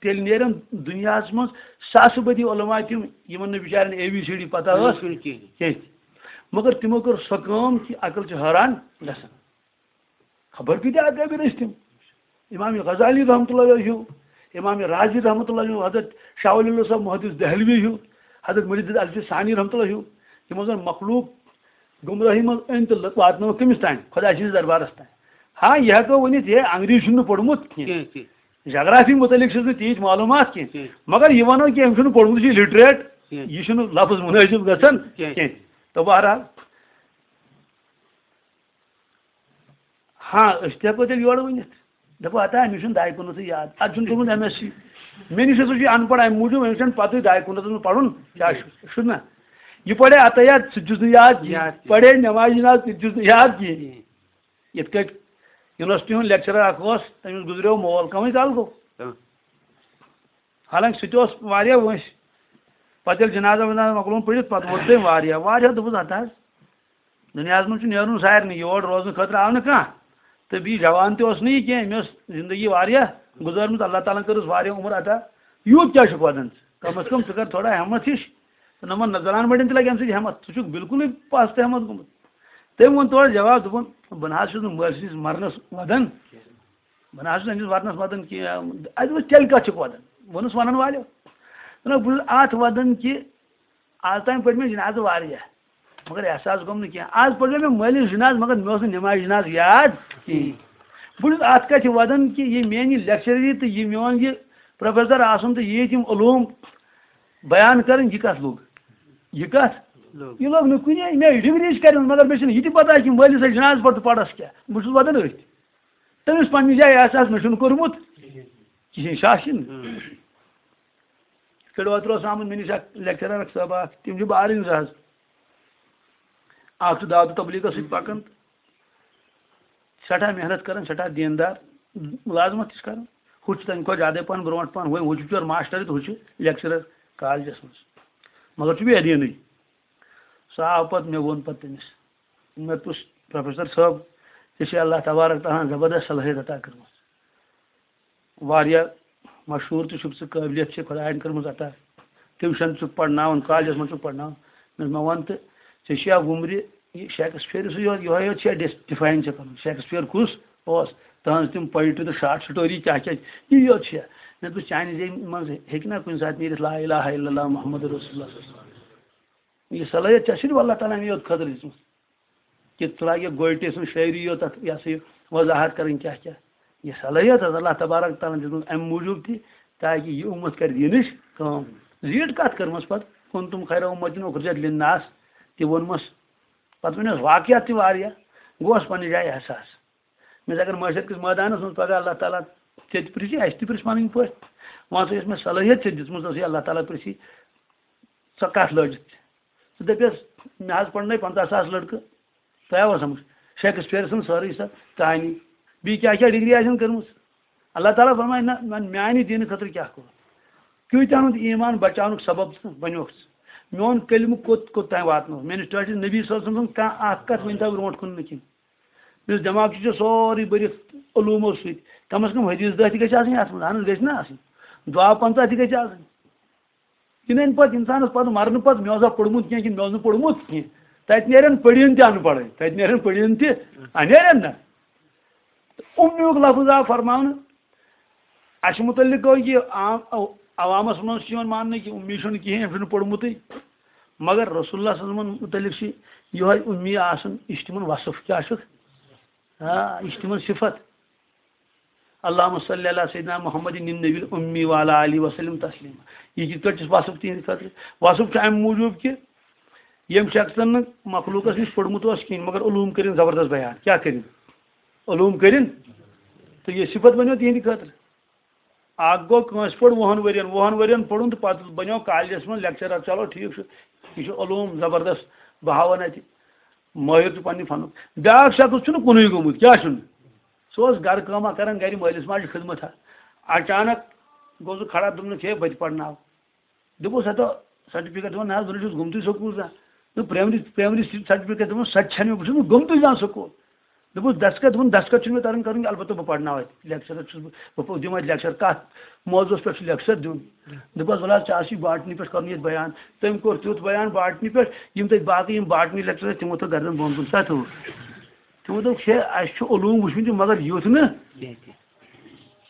تیٚلہِ نیرن دُنیاہس منٛز ساسہٕ بٔدی علماء تِم، یِمن نہٕ بِچارٮ۪ن اے بی سی ڈی پتہ ٲس چھُنہٕ کِہیٖنۍ۔ کینٛہہ۔ مگر تِمو کٔر سۄ کٲم کہِ عقل چھِ حٲران گژھان۔ خبر کۭتیٛاہ اکابر ٲسۍ تِم۔ امام غزالی رحمتہ اللہ علیہ ہیوٗ، امام رازی رحمتہ اللہ علیہ ہیوٗ، حضرت شاہ ولی اللہ صاحب محدث دہلوی ہیوٗ، حضرت مجدد الفی ثانی رحمتہ اللہ ہیوٗ، یِمو زن مخلوق گمراہی منٛز أنۍ تہٕ لٔ-، واتنٲو کٔمِس تام؟ خۄداے سٕنٛدِس دربارس تام۔ ہاں، یہِ ہٮ۪کو ؤنِتھ، ہے، انگریز چھُنہٕ پوٚرمُت کینٛہہ۔ کینٛہہ، کینٛہہ۔ جغرافی متعلق چھِس نہٕ تیٖتۍ معلوٗمات کینٛہہ۔ کینٛہہ۔ مگر یہِ ونو کہِ أمۍ چھُنہٕ پوٚرمُت، یہِ چھُ لِٹریٹ، کینٛہہ۔ یہِ چھُنہٕ لفظ منٲسِب گژھان کینٛہہ۔ کینٛہہ۔ تہٕ بہرحال، ہاں، أسۍ تہِ ہٮ۪کو تیٚلہِ یورٕ ؤنِتھ۔ دَپو، ہتا، أمِس چھُنہٕ دَے کُنَتھٕے یاد۔ اَتھ چھُنہٕ توٚرمُت ایم ایس سی۔ مےٚ نِش ہسا چھُ یہِ اَن پَڑھ، اَمہِ موٗجوٗب أمِس چھَنہٕ پَتہٕے دَے کُنَتھَس منٛز پَرُن کیٛاہ چھُ، چھُ نہ؟ یہِ پَرے عطیات، سُہ تہِ چھُس نہٕ یاد کِہیٖنۍ۔ یاد کِہیٖنۍ۔ پَرے نٮ۪مازِ جِناز، تہِ تہِ چھُس نہٕ یاد کِہیٖنۍ۔ کِہیٖنۍ۔ یِتھ کٲٹھۍ یونیورسٹی ہُنٛد لیکچرر اَکھ اوس، تٔمِس گُزریو مول کَمٕے کال گوٚو۔ اۭں۔ حالانکہ سُہ تہِ اوس واریاہ وٲنٛسہِ۔ پَتہٕ ییٚلہِ جِنازہ وِنازہ مۄکلووُن پٔرِتھ، پَتہٕ ووت تٔمۍ واریاہ، واریاہ دوٚپُس، ہتا حظ، دُنیاہَس منٛز چھُ نیرُن سارنٕے، یور روزنہٕ خٲطرٕ آو نہٕ کانٛہہ۔ تہٕ بیٚیہِ جوان تہِ اوس نہٕ یہِ کینٛہہ، أمۍ ٲس زندگی واریاہ گُزٲرمٕژ، اللہ تعالیٰ ہَن کٔرٕس واریاہ عمر عطا۔ یوٗت کیٛاہ چھُکھ وَدان ژٕ؟ کم از کم ژٕ کر تھوڑا ہٮ۪مت ہِش۔ تہٕ نہ وَن نہ زنان مٔڈٮ۪ن تہِ لگہِ اَمہِ سۭتۍ ہٮ۪مت، ژٕ چھُکھ بالکلٕے پَس تہٕ ہٮ۪مت گوٚمُت۔ تٔمۍ ووٚن تورٕ جواب، دوٚپُن، بہٕ نہ حظ چھُس نہٕ مٲلۍ سٕنٛدِس مرنَس وَدان۔ بہٕ نہ حظ چھُس أمِس وَدنَس وَدان کینٛہہ۔ اَتہِ ووٚنُس، تیٚلہِ کَتھ چھُکھ وَدان؟ ووٚنُس وَنَن والیو۔ دوٚپنَکھ، بہٕ چھُس اَتھ وَدان کہِ آز تام پٔرۍ مےٚ جِنازٕ واریاہ، مگر احساس گوٚم نہٕ کینٛہہ۔ آز پٔرۍ مےٚ مٲلِس جِنازٕ، مگر مےٚ اوس نہٕ نٮ۪مازِ جِنازٕ یاد کِہیٖنۍ۔ بہٕ چھُس اَتھ کَتھِ وَدان کہِ یہِ میٛانہِ لیکچرری تہٕ یہِ میون یہِ پروفیسر آسُن تہٕ یہِ ییٚتہِ یِم علوٗم بیان کَرٕنۍ، یہِ کَتھ لوٚگ؟ یہِ کَتھ؟ لوٚگ۔ یہِ لوٚگ نہٕ کُنے۔ مےٚ ڈگری چھِ کَرِمٕژ، مگر مےٚ چھِنہٕ یہِ تہِ پَتہ کہِ مٲلِس جِنازٕ پَتہٕ پَرَس کیٛاہ۔ بہٕ چھُس وَدان أتھۍ۔ تٔمِس پنٛنہِ جایہِ احساس مےٚ چھُنہٕ کوٚرمُت کِہیٖنۍ، شاشِن۔ اۭں۔ یِتھ کٲٹھۍ اوترٕ اوس آمُت مےٚ نِش اکھ لیکچرر اکھ صٲب اکھ، تِم چھِ بارٕنۍ زٕ حظ۔ اکھ چھُ دعوت تبلیغس سۭتۍ پکان، سٮ۪ٹھاہ محنت کران، سٮ۪ٹھاہ دیندار، مُلازمت تہِ چھِ کران۔ ہُہ چھُ تَمہِ کھۄتہٕ زیادَے پہن برونٛٹھ پہن، ہُہ، ہُہ چھُ پِیور ماسٹر تہٕ ہُہ چھُ لیکچرر کالجس منٛز، مگر چھُ بے دیٖنٕے۔ سُہ آو پتہٕ، مےٚ ووٚن پتہٕ تٔمِس، مےٚ دوٚپُس، پروفیسر صٲب، ژےٚ چھےٚ اللہ تبارک تعالیٰ ہن زبردست صلٲحیت عطا کٔرمٕژ۔ واریاہ مشہوٗر تہِ چھُکھ ژٕ، قٲبلیت چھےٚ خۄدایَن کٔرمٕژ عطا۔ ٹیوٗشن چھُکھ پرناوان، کالجس منٛز چھُکھ پرناوان۔ مےٚ دوٚپُس، مےٚ وَن تہٕ، ژےٚ چھُیا وُمرِ یہِ شیکسپیئر سُہ یوٚہَے، یوٚہَے یوت چھےٚ ڈِس-، ڈِفاین چھےٚ کَرُن؟ شیکسپیئر کُس اوس؟ تٕہٕنٛز تِم پوئٹری تہٕ شارٹ سٹوری کیٛاہ کیٛاہ چھِ؟ یہِ یوت چھےٚ۔ مےٚ دوٚپُس، چانہِ زیٚوِ منٛز ہیٚکہِ نا کُنہِ ساتہٕ نیٖرِتھ لا الہ الا اللہ محمد رسول اللہ صلی اللہ علیہ وسلم؟ یہِ صلٲحیت چھےٚ صرف اللہ تعالیٰ ہَن یوت خٲطرٕ دِژمٕژ۔ کہِ ژٕ لاگہِ گویٹی سٕنٛز شٲعری یوت تَتھ، یہِ ہسا یہِ وضاحت کَرٕنۍ کیٛاہ کیٛاہ۔ یہِ صلٲحیت حظ اللہ تبارک تعالیٰ ہَن دِژمٕژ اَمہِ موٗجوٗب تہِ، تاکہِ یہِ اُمت کَرِ دیٖنٕچ کٲم۔ زیٖٹھ کَتھ کٔرمٕژ پَتہٕ، "کنتم خیر امت اخرجت للناس" تہِ ووٚنمَس۔ پَتہٕ ؤنِس واقعات تہِ واریاہ، گوس پنٛنہِ جایہِ احساس۔ مےٚ اگر معاشرت کِس مٲدانَس منٛز پَگاہ اللہ تعالیٰ ژےٚ تہِ پِرٛژھِ، اَسہِ تہِ پِرٛژھِ پَنٕنۍ پٲٹھۍ، وَن سا، یۄس مےٚ صلٲحیت ژےٚ دِژمٕژ ٲسٕے، اللہ تعالیٰ پِرٛژھِ، ژٕ کَتھ لٲجِتھ؟ ژٕ دٔپِس، مےٚ حظ پَرنٲے پنٛژاہ ساس لٔڑکہٕ، تۄہہِ آوا سَمٕجھ؟ شیکسپیئر سٕنٛز سٲرٕے سۄ کہانی، بیٚیہِ کیٛاہ کیٛاہ ڈگری آسن کٔرمٕژ۔ اللہ تعالیٰ فرمایہِ، نہ، وۄنۍ میٛانہِ دیٖنہٕ خٲطرٕ کیٛاہ کوٚرُتھ؟ کۭتیٛاہَن ہُنٛد ایٖمان بچاونُک سبب ژٕ بنیوکھ ژٕ؟ میون کلمہٕ کوٚت کوٚت تام واتنوو؟ میٛٲنِس ٹٲٹھِس نبی صٲب سٕنٛز کانٛہہ اَکھ کَتھ ؤنۍ تو برونٛٹھ کُن نہٕ کِہیٖنۍ۔ یُس دٮ۪ماغ چھُ، چھُ سورُے بٔرِتھ علوٗمو سۭتۍ۔ کم از کم حدیث دَہ تہِ گژھِ آسٕنۍ اَتھ منٛز۔ اَہن حظ، گژھِ نہ آسٕنۍ؟ دُعا پنٛژاہ تہِ گژھِ آسٕنۍ۔ یہِ نہٕ اَمہِ پَتہٕ اِنسانَس پَتہٕ مَرنہٕ پَتہٕ مےٚ اوسا پوٚرمُت کینٛہہ کِنہٕ مےٚ اوس نہٕ پوٚرمُت کینٛہہ۔ تَتہِ نیرن پٔڑِن تہِ اَن پَڑھٕے، تَتہِ نیرن پٔڑِن تہِ، آ، نیرن نہ۔ تہٕ اُمیُک لفظ آو فرماونہٕ۔ اَسہِ مُتعلِق گوٚو یہِ عام، عوامَس منٛز چھُ یِوان ماننہٕ کہِ اُمی چھُنہٕ کِہیٖنۍ، أمۍ چھُنہٕ پوٚرمُتٕے۔ مگر رسول اللہ صلی اللہ علیہ وسلمن مُتعلِق چھِ یِہوٚے اُمی آسان، یہِ چھِ تِمَن وصف کیٛاہ چھُکھ؟ آ، یہِ چھِ تِمن صفت۔ اللہم صلی علی سیدنا محمد النبی الامی وعلی آلہ وسلم تسلیما۔ یہِ کِتھ پٲٹھۍ چھُ وصف تِہنٛدِ خٲطرٕ؟ وصف چھُ اَمہِ موٗجوٗب کہِ ییٚمہِ شخصن نہٕ مخلوٗقس نِش پوٚرمُت اوس کِہیٖنۍ، مگر علوم کٔرِن زبردست بیان۔ کیٛاہ کٔرِن؟ علوم کٔرِن۔ تہٕ یہِ صفت بنیو تِہنٛدِ خٲطرٕ۔ اکھ گوٚو کٲنٛسہِ پوٚر وُہن ؤرین، وُہن ؤرین پوٚرُن تہٕ پتہٕ بنیو کالجس منٛز لیکچرر۔ چلو ٹھیٖک چھُ، یہِ چھُ علوم زبردست، بہٕ ہاوان اتہِ مٲہِر چھُ پننہِ فنُک۔ بیٛاکھ شخص چھُنہٕ کُنُے گوٚمُت، کیٛاہ چھُنہٕ؟ سُہ اوس گرٕ کٲمہ کران، گرِ مٲلِس ماجہِ خدمت۔ اچانک گوٚو سُہ کھڑا، دوٚپنَس، ہے، بہٕ تہِ پرناو۔ دوٚپُس، ہتا سرٹیفکیٹ دِوان، نہ حظ، بہٕ نہ چھُس گوٚمتُے سکوٗل زانٛہہ۔ دوٚپ، پرٛایمری، پرٛایمری سرٹیفکیٹ دِوان، سۄ تہِ چھَنہٕ مےٚ، بہٕ چھُس نہٕ گوٚمتُے زانٛہہ سکوٗل۔ دوٚپُس، دستخط، دوٚپُن، دستخط چھُنہٕ مےٚ تَران کَرُن کینٛہہ، البتہ بہٕ پَرناوٕ اَتہِ، لیکچرر چھُس بہٕ، بہٕ دِمہٕ اَتہِ لیکچر۔ کَتھ موضوعس پٮ۪ٹھ چھُ لیکچر دیُن؟ دوٚپُس، وَلہٕ حظ، ژےٚ آسی باٹنی پٮ۪ٹھ کَرُن ییٚتہِ بیان۔ تٔمۍ کوٚر تیُتھ بیان باٹنی پٮ۪ٹھ، یِم تَتہِ باقٕے یِم باٹنی لیکچرر، تِمو تھٲو گردن بۄن کُن۔ کَتھ ہُہ؟ تِمو دوٚپ، ہے، اَسہِ چھُ علوم وٕچھمُت، مگر یُتھ نہٕ۔ کینٛہہ تہِ۔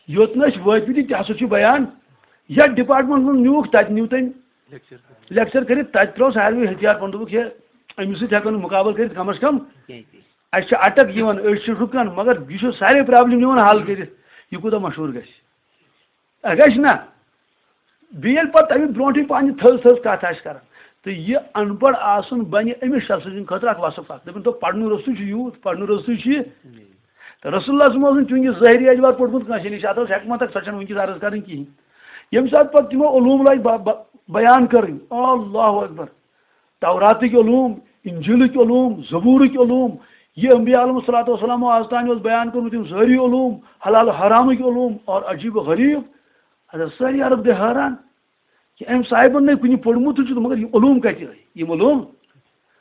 یوٚت نہٕ أسۍ وٲتمٕتۍ، تہِ ہسا چھُ بیان۔ یتھ ڈپارٹمنٹس منٛز نیوٗکھ، تتہِ نیوٗ تٔمۍ لیکچر۔ لیکچر کٔرِتھ، تتہِ ترٛوو ساروٕے ہتھیار پنُن، دوٚپُکھ، ہے، أمِس سۭتۍ ہٮ۪کو نہٕ مُقابلہٕ کٔرِتھ کم از کم۔ کینٛہہ تہِ۔ اَسہِ چھِ اٹک یِوان، أسۍ چھِ رُکان، مگر یہِ چھُ سارے پرابلم نِوان حل کٔرِتھ۔ یہِ کوٗتاہ مشہوٗر گژھِ؟ اَ، گژھِ نا؟ بیٚیہِ ییٚلہِ پتہٕ تَمہِ برونٛٹھٕے پننہِ تھٔز تھٔز کتھ آسہِ کران، تہٕ یہِ ان پڑھ آسُن بنہِ أمِس شخصہٕ سٕنٛدِ خٲطرٕ اکھ وصف اکھ۔ دٔپِن تو، پرنُے روٚستُے چھُ یوٗت، پرنُے روٚستُے چھُ یہِ۔ تہٕ رسول اللہ صلی اللہ علیہ وسلم اوس نہٕ چوٗنٛکہِ ظٲہری اعتبار پوٚرمُت کٲنٛسہِ نِش، اتھ ٲس حکمت اکھ، سۄ چھنہٕ وٕنکیٚس عرض کرٕنۍ کِہینۍ۔ ییٚمہِ ساتہٕ پتہٕ تِمو علوم لٲگۍ ب-، ب-، بیان کرٕنۍ، اللہ اکبر، توراتٕکۍ علوم، انجیلٕکۍ علوم، زبورٕکۍ علوم، یہِ انبیاء علیہ الصلوۃ والسلام آز تام اوس بیان کوٚرمُت، یِم سٲری علوم، حلال حرامٕکۍ علوم، اور عجیب و غریب، حضرت سٲری عرب گٔے حٲران۔ کہ أمۍ صاحبن نے کُنہِ پوٚرمُتٕے چھُ، مگر یہِ علوم کتہِ ٲے؟ یِم علوم،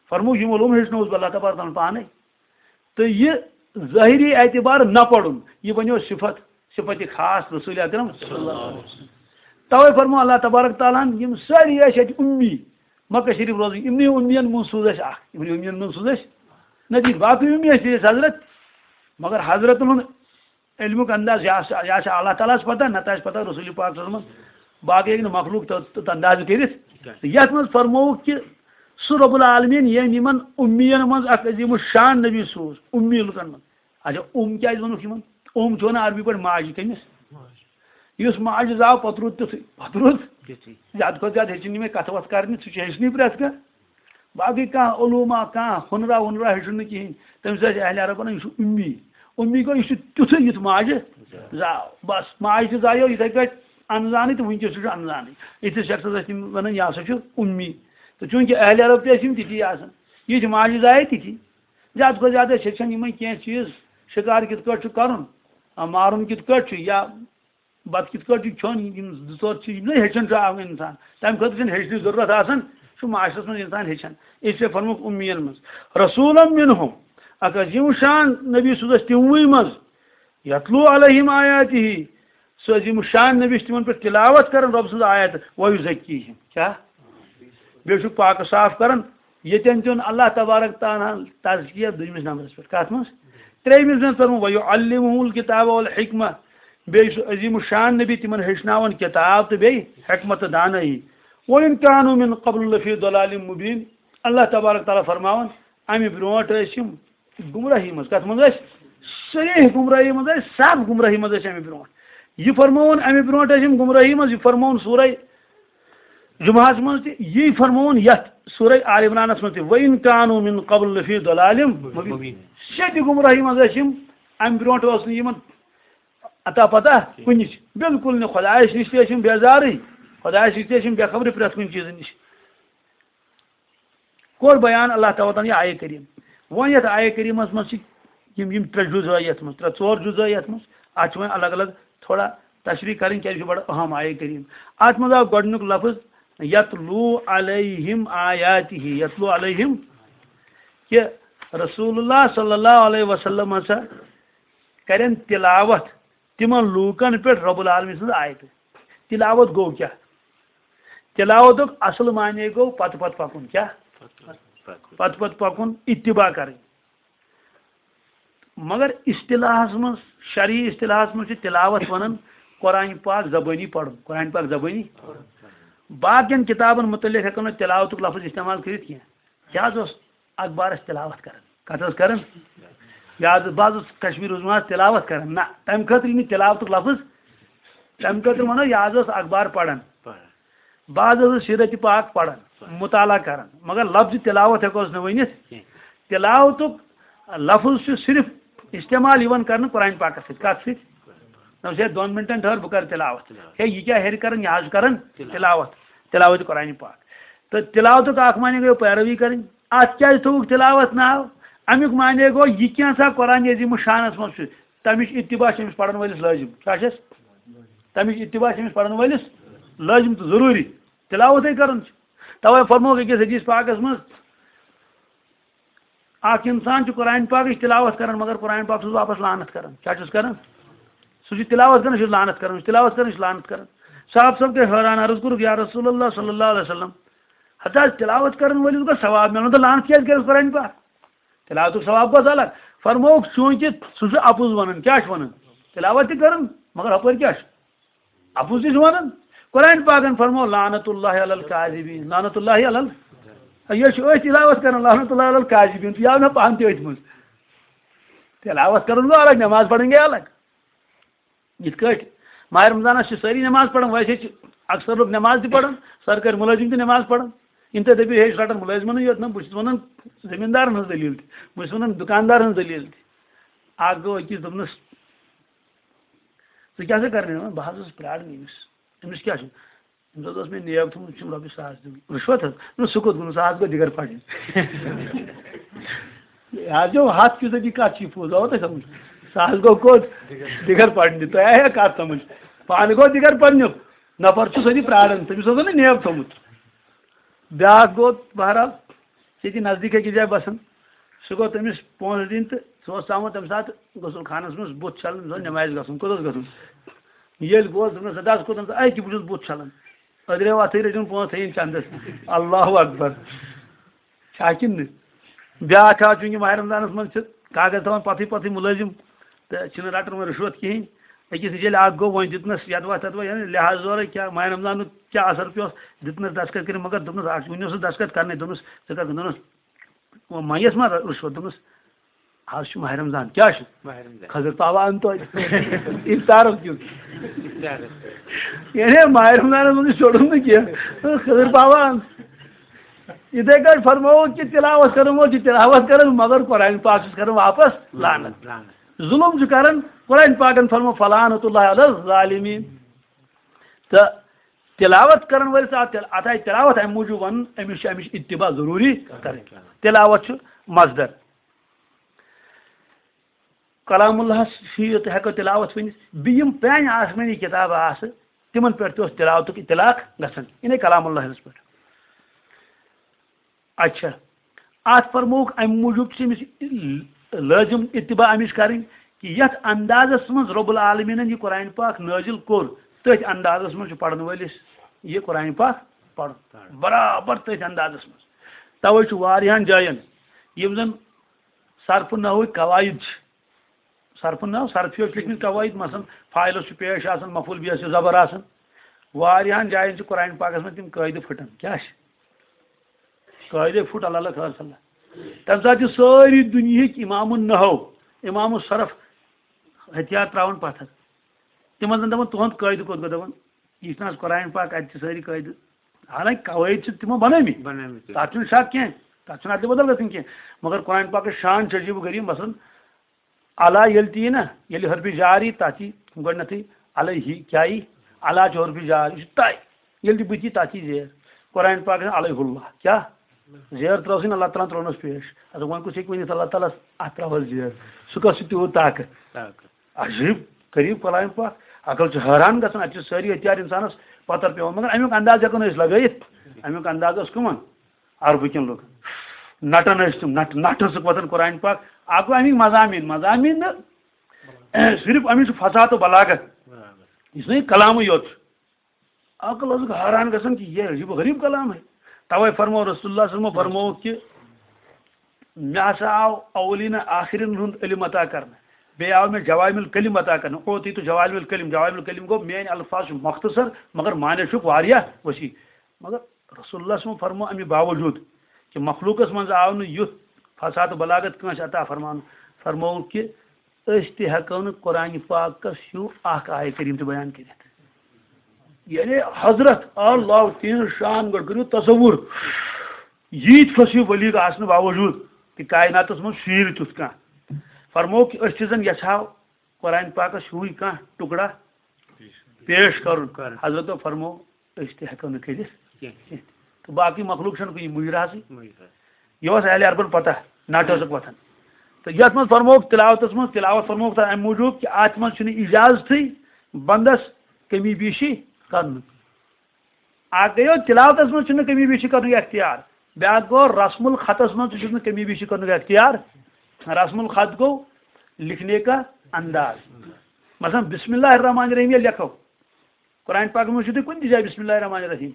فرموو، یِم علوم ہیٚچھنووُس بہٕ اللہ تبارک تعالیٰ ہن پانے۔ تہٕ یہِ ظٲہری اعتبار نہ پرُن، یہِ بنیو صفت، صفت خاص رسول اکرم صلی اللہ علیہ وسلم۔ توے فرموو اللہ تبارک تعالیٰ ہن، یِم سٲری ٲسۍ اتہِ اُمی، مکہ شریف روزٕکۍ، یِمنٕے اُمین منٛز سوٗز اَسہِ اکھ، یِمنٕے اُمین منٛز سوٗز اَسہِ نبی۔ باقٕے اُمی ٲسۍ، ٲسۍ حضرت، مگر حضرتن ہُنٛد علمُک انداز، یا چھِ، یا چھِ اللہ تعالیٰ ہس پتہ، نتہٕ آسہِ پتہ رسول پاک صلی اللہ علیہ وسلم۔ باقٕے ہیٚکہِ نہٕ مخلوق تہ-، تہ-، اندازٕ کٔرِتھ۔ یتھ منٛز فرمووُکھ کہِ سُہ رب العالمین، ییٚمۍ یِمن اُمین منٛز اکھ عظیم الشان نبی سوٗز، اُمی لُکن منٛز۔ اچھا، اُم کیازِ ووٚنُکھ یِمن؟ اُم چھُ ونان عربی پٲٹھۍ ماجہِ۔ کٔمِس؟ یُس ماجہِ زاو، پتہٕ روٗد تیُتھُے، پتہٕ روٗد۔ تیُتھُے۔ زیادٕ کھۄتہٕ زیادٕ ہیٚچھِن یِمے کتھٕ وتھٕ کرنہِ، سُہ چھُ ہیٚچھنٕے پرٛٮ۪تھ کانٛہہ۔ باقٕے کانٛہہ علوما، کانٛہہ ہُنرا وُنرا ہیٚچھُن نہٕ کِہیٖنۍ۔ تٔمِس ٲسۍ اہلِ عرب ونان، یہِ چھُ اُمی۔ اُمی گوٚو، یہِ چھُ تیُتھُے یُتھ ماجہِ زاو۔ بس، ماجہِ تہِ زایو یِتھَے پٲٹھۍ انزانٕے تہٕ وٕنکیٚس تہِ چھُ انزانٕے۔ یِتھِس شخصس ٲسۍ تِم ونان، یہِ ہسا چھُ اُمی۔ تہٕ چوٗنٛکہِ اہلِ عرب تہِ ٲسۍ یِم تِتھی آسان، یِتھۍ ماجہِ زایہِ تِتھی۔ زیادٕ کھۄتہٕ زیادٕ ٲسۍ ہیٚچھان یِمے کینٛہہ چیٖز، شِکار کِتھ کٲٹھۍ چھُ کرُن، مارُن کِتھ کٲٹھۍ چھُ، یا بتہٕ کِتھ کٲٹھۍ چھُ کھیوٚن، یِم زٕ ژور چیٖز، یِم زن ہیٚچھان چھُ اکھ انسان، تمہِ خٲطرٕ چھُنہٕ ہیٚچھنٕچ ضروٗرت آسان، سُہ معاشرس منٛز انسان ہیٚچھان۔ اس لیے فرمووُکھ اُمین منٛز۔ رسولا منہم، اکھ عظیم شان نبی سوٗز اَسہِ تِموٕے منٛز، یتلو علیہم آیاتہ، سُہ عظیم شان نبی چھُ تِمن پٮ۪ٹھ تلاوت کران رۄب سٕنٛز آیت، ویزکیہم، کیٛاہ؟ بیٚیہِ چھُکھ پاک صاف کران۔ ییٚتٮ۪ن دیُن اللہ تبارک تعالیٰ ہن تزکیہ دوٚیمِس نمبرس پٮ۪ٹھ۔ کتھ منٛز؟ ترٛیٚیمِس منٛز فرموو، ویعلمہم الکتاب والحکمہ۔ بیٚیہِ چھُ عظیم الشان نبی تِمن ہیٚچھناوان کتاب تہٕ بیٚیہِ حکمت تہٕ دانٲیی۔ وَإِن كَانُوا مِن قَبْلُ لَفِي ضَلَالٍ مُبِينٍ۔ اللہ تبارک تعالیٰ فرماوان، امہِ برونٛٹھ ٲسۍ یِم گمراہی منٛز۔ کتھ منٛز ٲسۍ؟ صریح گمراہی منٛز ٲسۍ، صاف گمراہی منٛز ٲسۍ امہِ برونٛٹھ۔ یہِ فرماوُن، امہِ برونٛٹھ ٲسۍ یِم گمراہی منٛز، یہِ فرماوُن سورہ جمعہس منٛز تہِ، یی فرمووُن یتھ سورہ آل عمرانس منٛز تہِ، وَإِن كَانُوا مِن قَبْلُ لَفِي ضَلَالٍ مُبِينٍ۔ مُبیٖن۔ شدِ گمراہی منٛز ٲسۍ یِم، امہِ برونٛٹھ اوس نہٕ یِمن عطا پتہ کُنِچ، بالکل نہٕ۔ خۄدایس نِش تہِ ٲسۍ یِم بیزارٕے، خۄدایس نِش تہِ ٲسۍ یِم بے خبرٕے پرٛٮ۪تھ کُنہِ چیٖزٕ نِش۔ کوٚر بیان اللہ تعالیٰ ہن یہِ آیہِ کریم۔ وۄنۍ یتھ آیہِ کریمس منٛز چھِ یِم، یِم ترٛےٚ جُزٲے یتھ منٛز، ترٛےٚ ژور جُزٲے یتھ منٛز، اتھ چھِ وۄنۍ الگ الگ تھوڑا تشریح کرٕنۍ، کیازِ یہِ چھُ بڑٕ اہم آیہِ کریم۔ اتھ منٛز آو گۄڈٕنیُک لفظ یتلو علیہم آیاتہ، یتلو علیہم، کہِ رسول اللہ صلی اللہ علیہ وسلم ہسا کرن تلاوت تِمن لوٗکن پٮ۪ٹھ رب العالمین سٕنٛز آیتہٕ۔ تلاوت گوٚو کیٛاہ؟ تلاوتُک اصل معنی گوٚو پتہٕ پتہٕ پکُن۔ کیٛاہ؟ پتہٕ پتہٕ پکُن، اتباع کرٕنۍ۔ مگر اصطلاحس منٛز، شرعی اصطلاحس منٛز چھِ تلاوت ونان قرآن پاک زبٲنی پرُن، قرآن پاک زبٲنی۔ باقین کتابن متعلق ہٮ۪کو نہٕ تلاوتُک لفظ استعمال کٔرِتھ کینٛہہ۔ کیٛاہ حظ اوس اخبارس تلاوت کران؟ کتھ ٲس کران؟ یہِ حظ، بہٕ حظ اوسُس کشمیٖر روٗزمُت حظ تِلاوت کران۔ نہ، تَمہِ خٲطرٕ یہِ نہٕ تِلاوتُک لفظ، تَمہِ خٲطرٕ وَنو، یہِ حظ اوس اخبار پران۔ پران۔ بہٕ حظ اوسُس سیٖرت پاک پران، پران۔ مطالعہ کران، مگر لفظ تِلاوت ہٮ۪کو أسۍ نہٕ ؤنِتھ۔ کینٛہہ۔ تِلاوتُک لفظ چھُ صرف استعمال یِوان کرنہٕ قرآن پاکس سۭتۍ۔ کتھ سۭتۍ؟ نہ، ژٕ ہے دۄن منٹن ٹھٔہر، بہٕ کرٕ تِلاوت۔ تِلاوت۔ ہے، یہِ کیٛاہ ہیٚرِ کران، یہِ حظ چھُ کران تِلاوت۔ تِلاوت۔ تِلاوت قرآن پاک۔ تہٕ تِلاوتُک اکھ معنی گوٚو پیروی کرٕنۍ۔ اتھ کیٛازِ تھوٚوُکھ تِلاوت ناو؟ امیُک معنی گوٚو، یہِ کینٛژھا قرآن عظیم الشانس منٛز چھُ، تمِچ اتباع چھِ أمِس پرن وٲلِس لٲزم۔ کیٛاہ چھَس؟ تمِچ اتباع چھِ أمِس پرن وٲلِس لٲزم تہٕ ضروٗری۔ تِلاوتٕے کرُن چھِ۔ توے فرمووُکھ أکِس حدیث پاکس منٛز، اکھ انسان چھُ قرآن پاکٕچ تلاوت کران، مگر قرآن پاک چھُس واپس لعنت کران۔ کیٛاہ چھُس کران؟ سُہ چھُ تلاوت کران، سُہ چھُ لعنت کران، سُہ چھُ تلاوت کران، سُہ چھُ لعنت کران۔ صاحب صٲب گٔے حٲران، عرض کوٚرُکھ، یا رسول اللہ صلی اللہ علیہ وسلم، ہتہٕ حظ تلاوت کرن وٲلِس گوٚو ثواب میلُن، تہٕ لعنت کیٛازِ کرس قرآن پاک؟ تلاوتُک ثواب گوٚو الگ۔ فرمووُکھ، چوٗنٛکہِ سُہ چھُ اپُز ونان، کیٛاہ چھُ ونان؟ تلاوت تہِ کران، مگر ہپٲرۍ کیٛاہ چھُ؟ اپُز تہِ چھُ ونان۔ قرآن پاکن فرموو، لعنت اللہ علی الکاذبین، لعنت اللہ علی ال-، یہِ چھُ أتھۍ تلاوت کران، لعنت اللہ علی الکاذبین، تہٕ یہِ آو مےٚ پانہٕ تہِ أتھۍ منٛز۔ تلاوت کرُن گوٚو الگ، نماز پرٕنۍ گٔے الگ۔ یِتھ کٲٹھۍ ماہِ رمضانس چھِ سٲری نماز پران، ویسے چھِ اکثر لُکھ نماز تہِ پران، سرکٲرۍ مُلٲزِم تہِ نماز پران۔ یِم تُہۍ دٔپِو، ہے، یہِ چھُ رٹان مُلٲزمَنٕے یوت، نہ، بہٕ چھُس ونان زٔمیٖندارن ہٕنٛز دٔلیٖل تہِ، بہٕ چھُس ونان دُکاندارن ہٕنٛز دٔلیٖل تہِ۔ اکھ گوٚو أکِس دوٚپنَس، "ژٕ کیٛاہ سا کران؟" بہٕ حظ اوسُس پرٛاران أمِس۔ أمِس کیٛاہ چھُ؟ أمِس حظ اوس مےٚ نیب تھوٚمُت، چھُم رۄپیہِ ساس دیُن۔ رِشوت حظ؟ نہ، سُہ کوٚت گوٚو؟ سُہ حظ گوٚو دِگر پڑنہِ۔ یہِ حظ چھو ہتھ فیٖصدی کتھ چھِ پوٚز، آوٕ تۄہہِ سمجھ؟ سُہ حظ گوٚو کوٚت؟ دِگر پڑنہِ۔ تۄہہِ آیا کتھ سمجھ؟ پانہٕ گوٚو دِگر پڑنیُک۔ نفر چھُ سُہ تہِ پرٛاران، تٔمِس اوس نہ نیب تھوٚمُت۔ بیٛاکھ گوٚو بہرحال ییٚتہِ نزدیٖک أکِس جایہِ بسان۔ سُہ گوٚو تٔمِس پونٛسہٕ دِنۍ تہٕ سُہ اوس ژامُت تَمہِ ساتہٕ غسل خانَس منٛز بُتھ چھَلنہٕ، أمِس اوس نٮ۪مازِ گژھُن۔ کوٚت اوس گژھُن؟ ییٚلہِ گوس، دوٚپنَس، "اَدٕ حظ کوٚت اوس؟" "أکہِ بہٕ چھُس بُتھ چھَلان۔" أدرے وَتھٕے رٔٹِن پونٛسہٕ تھٲیِن چَندَس۔ اللہ اکبر۔ چھا کِنہٕ نہٕ؟ بیٛاکھ آو، چوٗنٛکہِ ماہِ رمضانَس منٛز چھِ کاغذ تھاوان پَتھٕے پَتھٕے مُلٲزِم، تہٕ چھِنہٕ رَٹان وۄنۍ رِشوت کِہیٖنۍ۔ أکِس نِش ییٚلہِ اَکھ گوٚو، وۄنۍ دیُتنَس یَدوا تَدوا، یعنی لحاظ زورٕ کیٛاہ، ماہِ رمضانُک کیٛاہ اثر پیوس، دیُتنَس دستخط کٔرِتھ، مگر دوٚپنَس، اَکھ وٕنہِ اوسُس دستخط کَرنَے، دوٚپنَس، "ژٕ کَر؟" دوٚپنَس، "وۄنۍ منٛگیَس ما رِشوت؟" دوٚپنَس، "آز چھُ ماہِ رمضان، کیٛاہ چھُ؟" ماہِ رمضان۔ "خٔزٕر پاوا اَن توتہِ۔" افطارُک دیُن۔ افطارُک۔ یعنی ماہِ رمضانَس منٛز چھُ شوٚڑُن نہٕ کینٛہہ۔ خٔزٕر پاوا اَن۔ یِتھَے کٲٹھۍ فرمووُکھ کہِ تِلاوت کَرن وول چھُ تِلاوت کَران، مگر قرآن پاک چھُس کَران واپس لعنت۔ لعنت۔ ظلم چھُ کران۔ قرآن پاکن فرمو، "فلعنت اللہ علی الظالمین۔" تہٕ تلاوت کرن وٲلِس آو تِل-، اتھ آیہِ تلاوت امہِ موٗجوٗب وننہٕ، أمِس چھِ امِچ اتباع ضروٗری کرٕنۍ۔ تلاوت چھُ مصدر۔ کلام اللہس چھِ یہِ تہِ ہٮ۪کو تلاوت ؤنِتھ۔ بیٚیہِ یِم پرٛانہِ آسمٲنی کِتابہٕ آسہٕ، تِمن پٮ۪ٹھ تہِ اوس تلاوتُک اطلاق گژھان، یعنی کلام اللہس پٮ۪ٹھ۔ اچھا، اتھ فرمووُکھ، امہِ موٗجوٗب چھِ أمِس لٲزِم اتباع امِچ کرٕنۍ کہِ یتھ اندازس منٛز رب العالمیٖنن یہِ قرآن پاک نٲزِل کوٚر، تٔتھۍ اندازس منٛز چھُ پرن وٲلِس یہِ قرآن پاک پرُن۔ پرُن۔ برابر تٔتھۍ اندازس منٛز۔ توے چھُ واریاہن جاین، یِم زن صرف نحوٕکۍ قواعد چھِ، صرف نحو، صرفی یس چھِ لیکھمٕتۍ قواعد، مثلاً فاعلس چھُ پیش آسان، مفعول بِہس چھُ زبر آسان۔ واریاہن جاین چھِ قرآن پاکس منٛز تِم قٲعدٕ پھٕٹان۔ کیٛاہ چھِ؟ قٲعدے پھُٹ، اللہ اللہ خٲر صلی اللہ۔ تَمہِ ساتہٕ چھِ سٲری دُنیہٕکۍ امام النحو، امام الصرف ہتھیار ترٛاوان پتھر۔ تِمن زن دپان، "تُہُنٛد قٲعدٕ کوٚت گوٚو؟" دپان، "یہِ چھُنہٕ حظ قرآن پاک، اتہِ چھِ سٲری قٲعدٕ۔" حالانکہِ قواعد چھِ تِمو بنٲومٕتۍ۔ بنٲومٕتۍ۔ تَتھ چھُنہٕ شک کینٛہہ، تَتھ چھُنہٕ ادلہِ بدل گژھُن کینٛہہ۔ مگر قرآن پاکٕچ شان چھِ عجیٖب و غریٖب۔ مثلاً علی ییٚلہِ تہِ یی نا، ییٚلہِ حرفِ جار یی، تَتھ یی گۄڈٕنٮ۪تھٕے علیہ، کیٛاہ یی؟ علی چھُ حرفِ جار، یہِ چھُ طے۔ ییٚلہِ تہِ بٕتھِ یی، تَتھ یی زیر۔ قرآن پاک چھُ علیہ اللہ، کیٛاہ؟ زیر ترٲو سٕنۍ، اللہ تعالیٰ ہن ترٲونس پیش۔ اَدٕ وۄنۍ کُس ہیٚکہِ ؤنِتھ، اللہ تعالیٰ ہس اَتھ ترٛاوہس زیر؟ سُہ کَس چھُ تیوٗت طاقت؟ طاقت۔ عجیٖب غریٖب کلام پاک، عقل چھُ حٲران گژھان۔ اَتہِ چھِ سٲری ہتھیار اِنسانس پتھر پٮ۪وان، مگر اَمیُک انداز ہٮ۪کو نہٕ أسۍ لگٲیِتھ۔ اَمیُک انداز اوس کٕمن؟ عربہٕ کٮ۪ن لوٗکن۔ نٹان ٲسۍ تِم، نٹ-، نٹہٕ ٲسٕکھ وۄتھان قرآن پاک۔ اکھ گوٚو اَمِکۍ مضامین، مضامین نہٕ صرف اَمِچ چھُ فصاحت و بلاغت، یُس نہٕ یہِ کلامٕے یوت چھُ۔ عقل ٲسٕکھ حٲران گژھان کہِ یہِ عجیب و غریب کلام ہے۔ توے فرمو رسول اللہ صلی اللہ علیہ وسلم فرمووُکھ کہِ مےٚ ہسا آو اولین آخرین ہُنٛد علم عطا کرنہٕ، بیٚیہِ آو مےٚ جوامع الکلم عطا کرنہٕ، اوتیت جوامع الکلم، جوامع الکلم گوٚو میٲنۍ الفاظ چھِ مختصر مگر معنی چھُکھ واریاہ وسیع۔ مگر رسول اللہ صلی اللہ علیہ وسلم فرمو اَمہِ باوجوٗد کہِ مخلوٗقس منٛز آو نہٕ یُتھ فصاحت و بلاغت کٲنٛسہِ عطا فرماونہٕ۔ فرمووُکھ کہِ أسۍ تہِ ہٮ۪کو نہٕ قرآنِ پاکس ہیوٗ اکھ آیہِ کریم تہِ بیان کٔرِتھ۔ یعنی حضرت اللہ تین شان گۄڈٕ کٔرِو تصور، ییٖتۍ فصیح بلیغ آسنہٕ باوجوٗد تہِ کائناتس منٛز شیٖر تیُتھ کانٛہہ۔ فرمووُکھ کہِ أسۍ تہِ زن یژھاو قرآنِ پاکس ہیوٗے کانٛہہ ٹُکڑا پیش کرُن۔ کرُن۔ حضرتو فرموو أسۍ تہِ ہٮ۪کو نہٕ کٔرِتھ کینٛہہ۔ کینٛہہ۔ تہٕ باقٕے مخلوق چھَنہٕ کُنہِ مُجراہسٕے۔ مُجراہ۔ یہِ اوس اہلِ عربن پتہ، ناٹہٕ ٲسٕکھ وۄتھان۔ تہٕ یَتھ منٛز فرمووُکھ تِلاوتَس منٛز، تِلاوت فرمووُکھ تَتھ اَمہِ موٗجوٗب کہِ اَتھ منٛز چھُنہٕ اِجازتھٕے بندَس کمی بیشی کرنُک۔ اَکھ گٔیو تِلاوتَس منٛز چھُنہٕ کمی بیشی کرنُک اختیار، بیٛاکھ گوٚو رسم الخطس منٛز تہِ چھُنہٕ کمی بیشی کرنُک اختیار۔ رسم الخط گوٚو لکھنے کا انداز۔ مثلاً بسم اللہ الرحمن الرحیم ییٚلہِ لیکھو، قرآن پاکس منٛز چھُ تُہۍ کُنہِ تہِ جایہِ بسم اللہ الرحمن الرحیم۔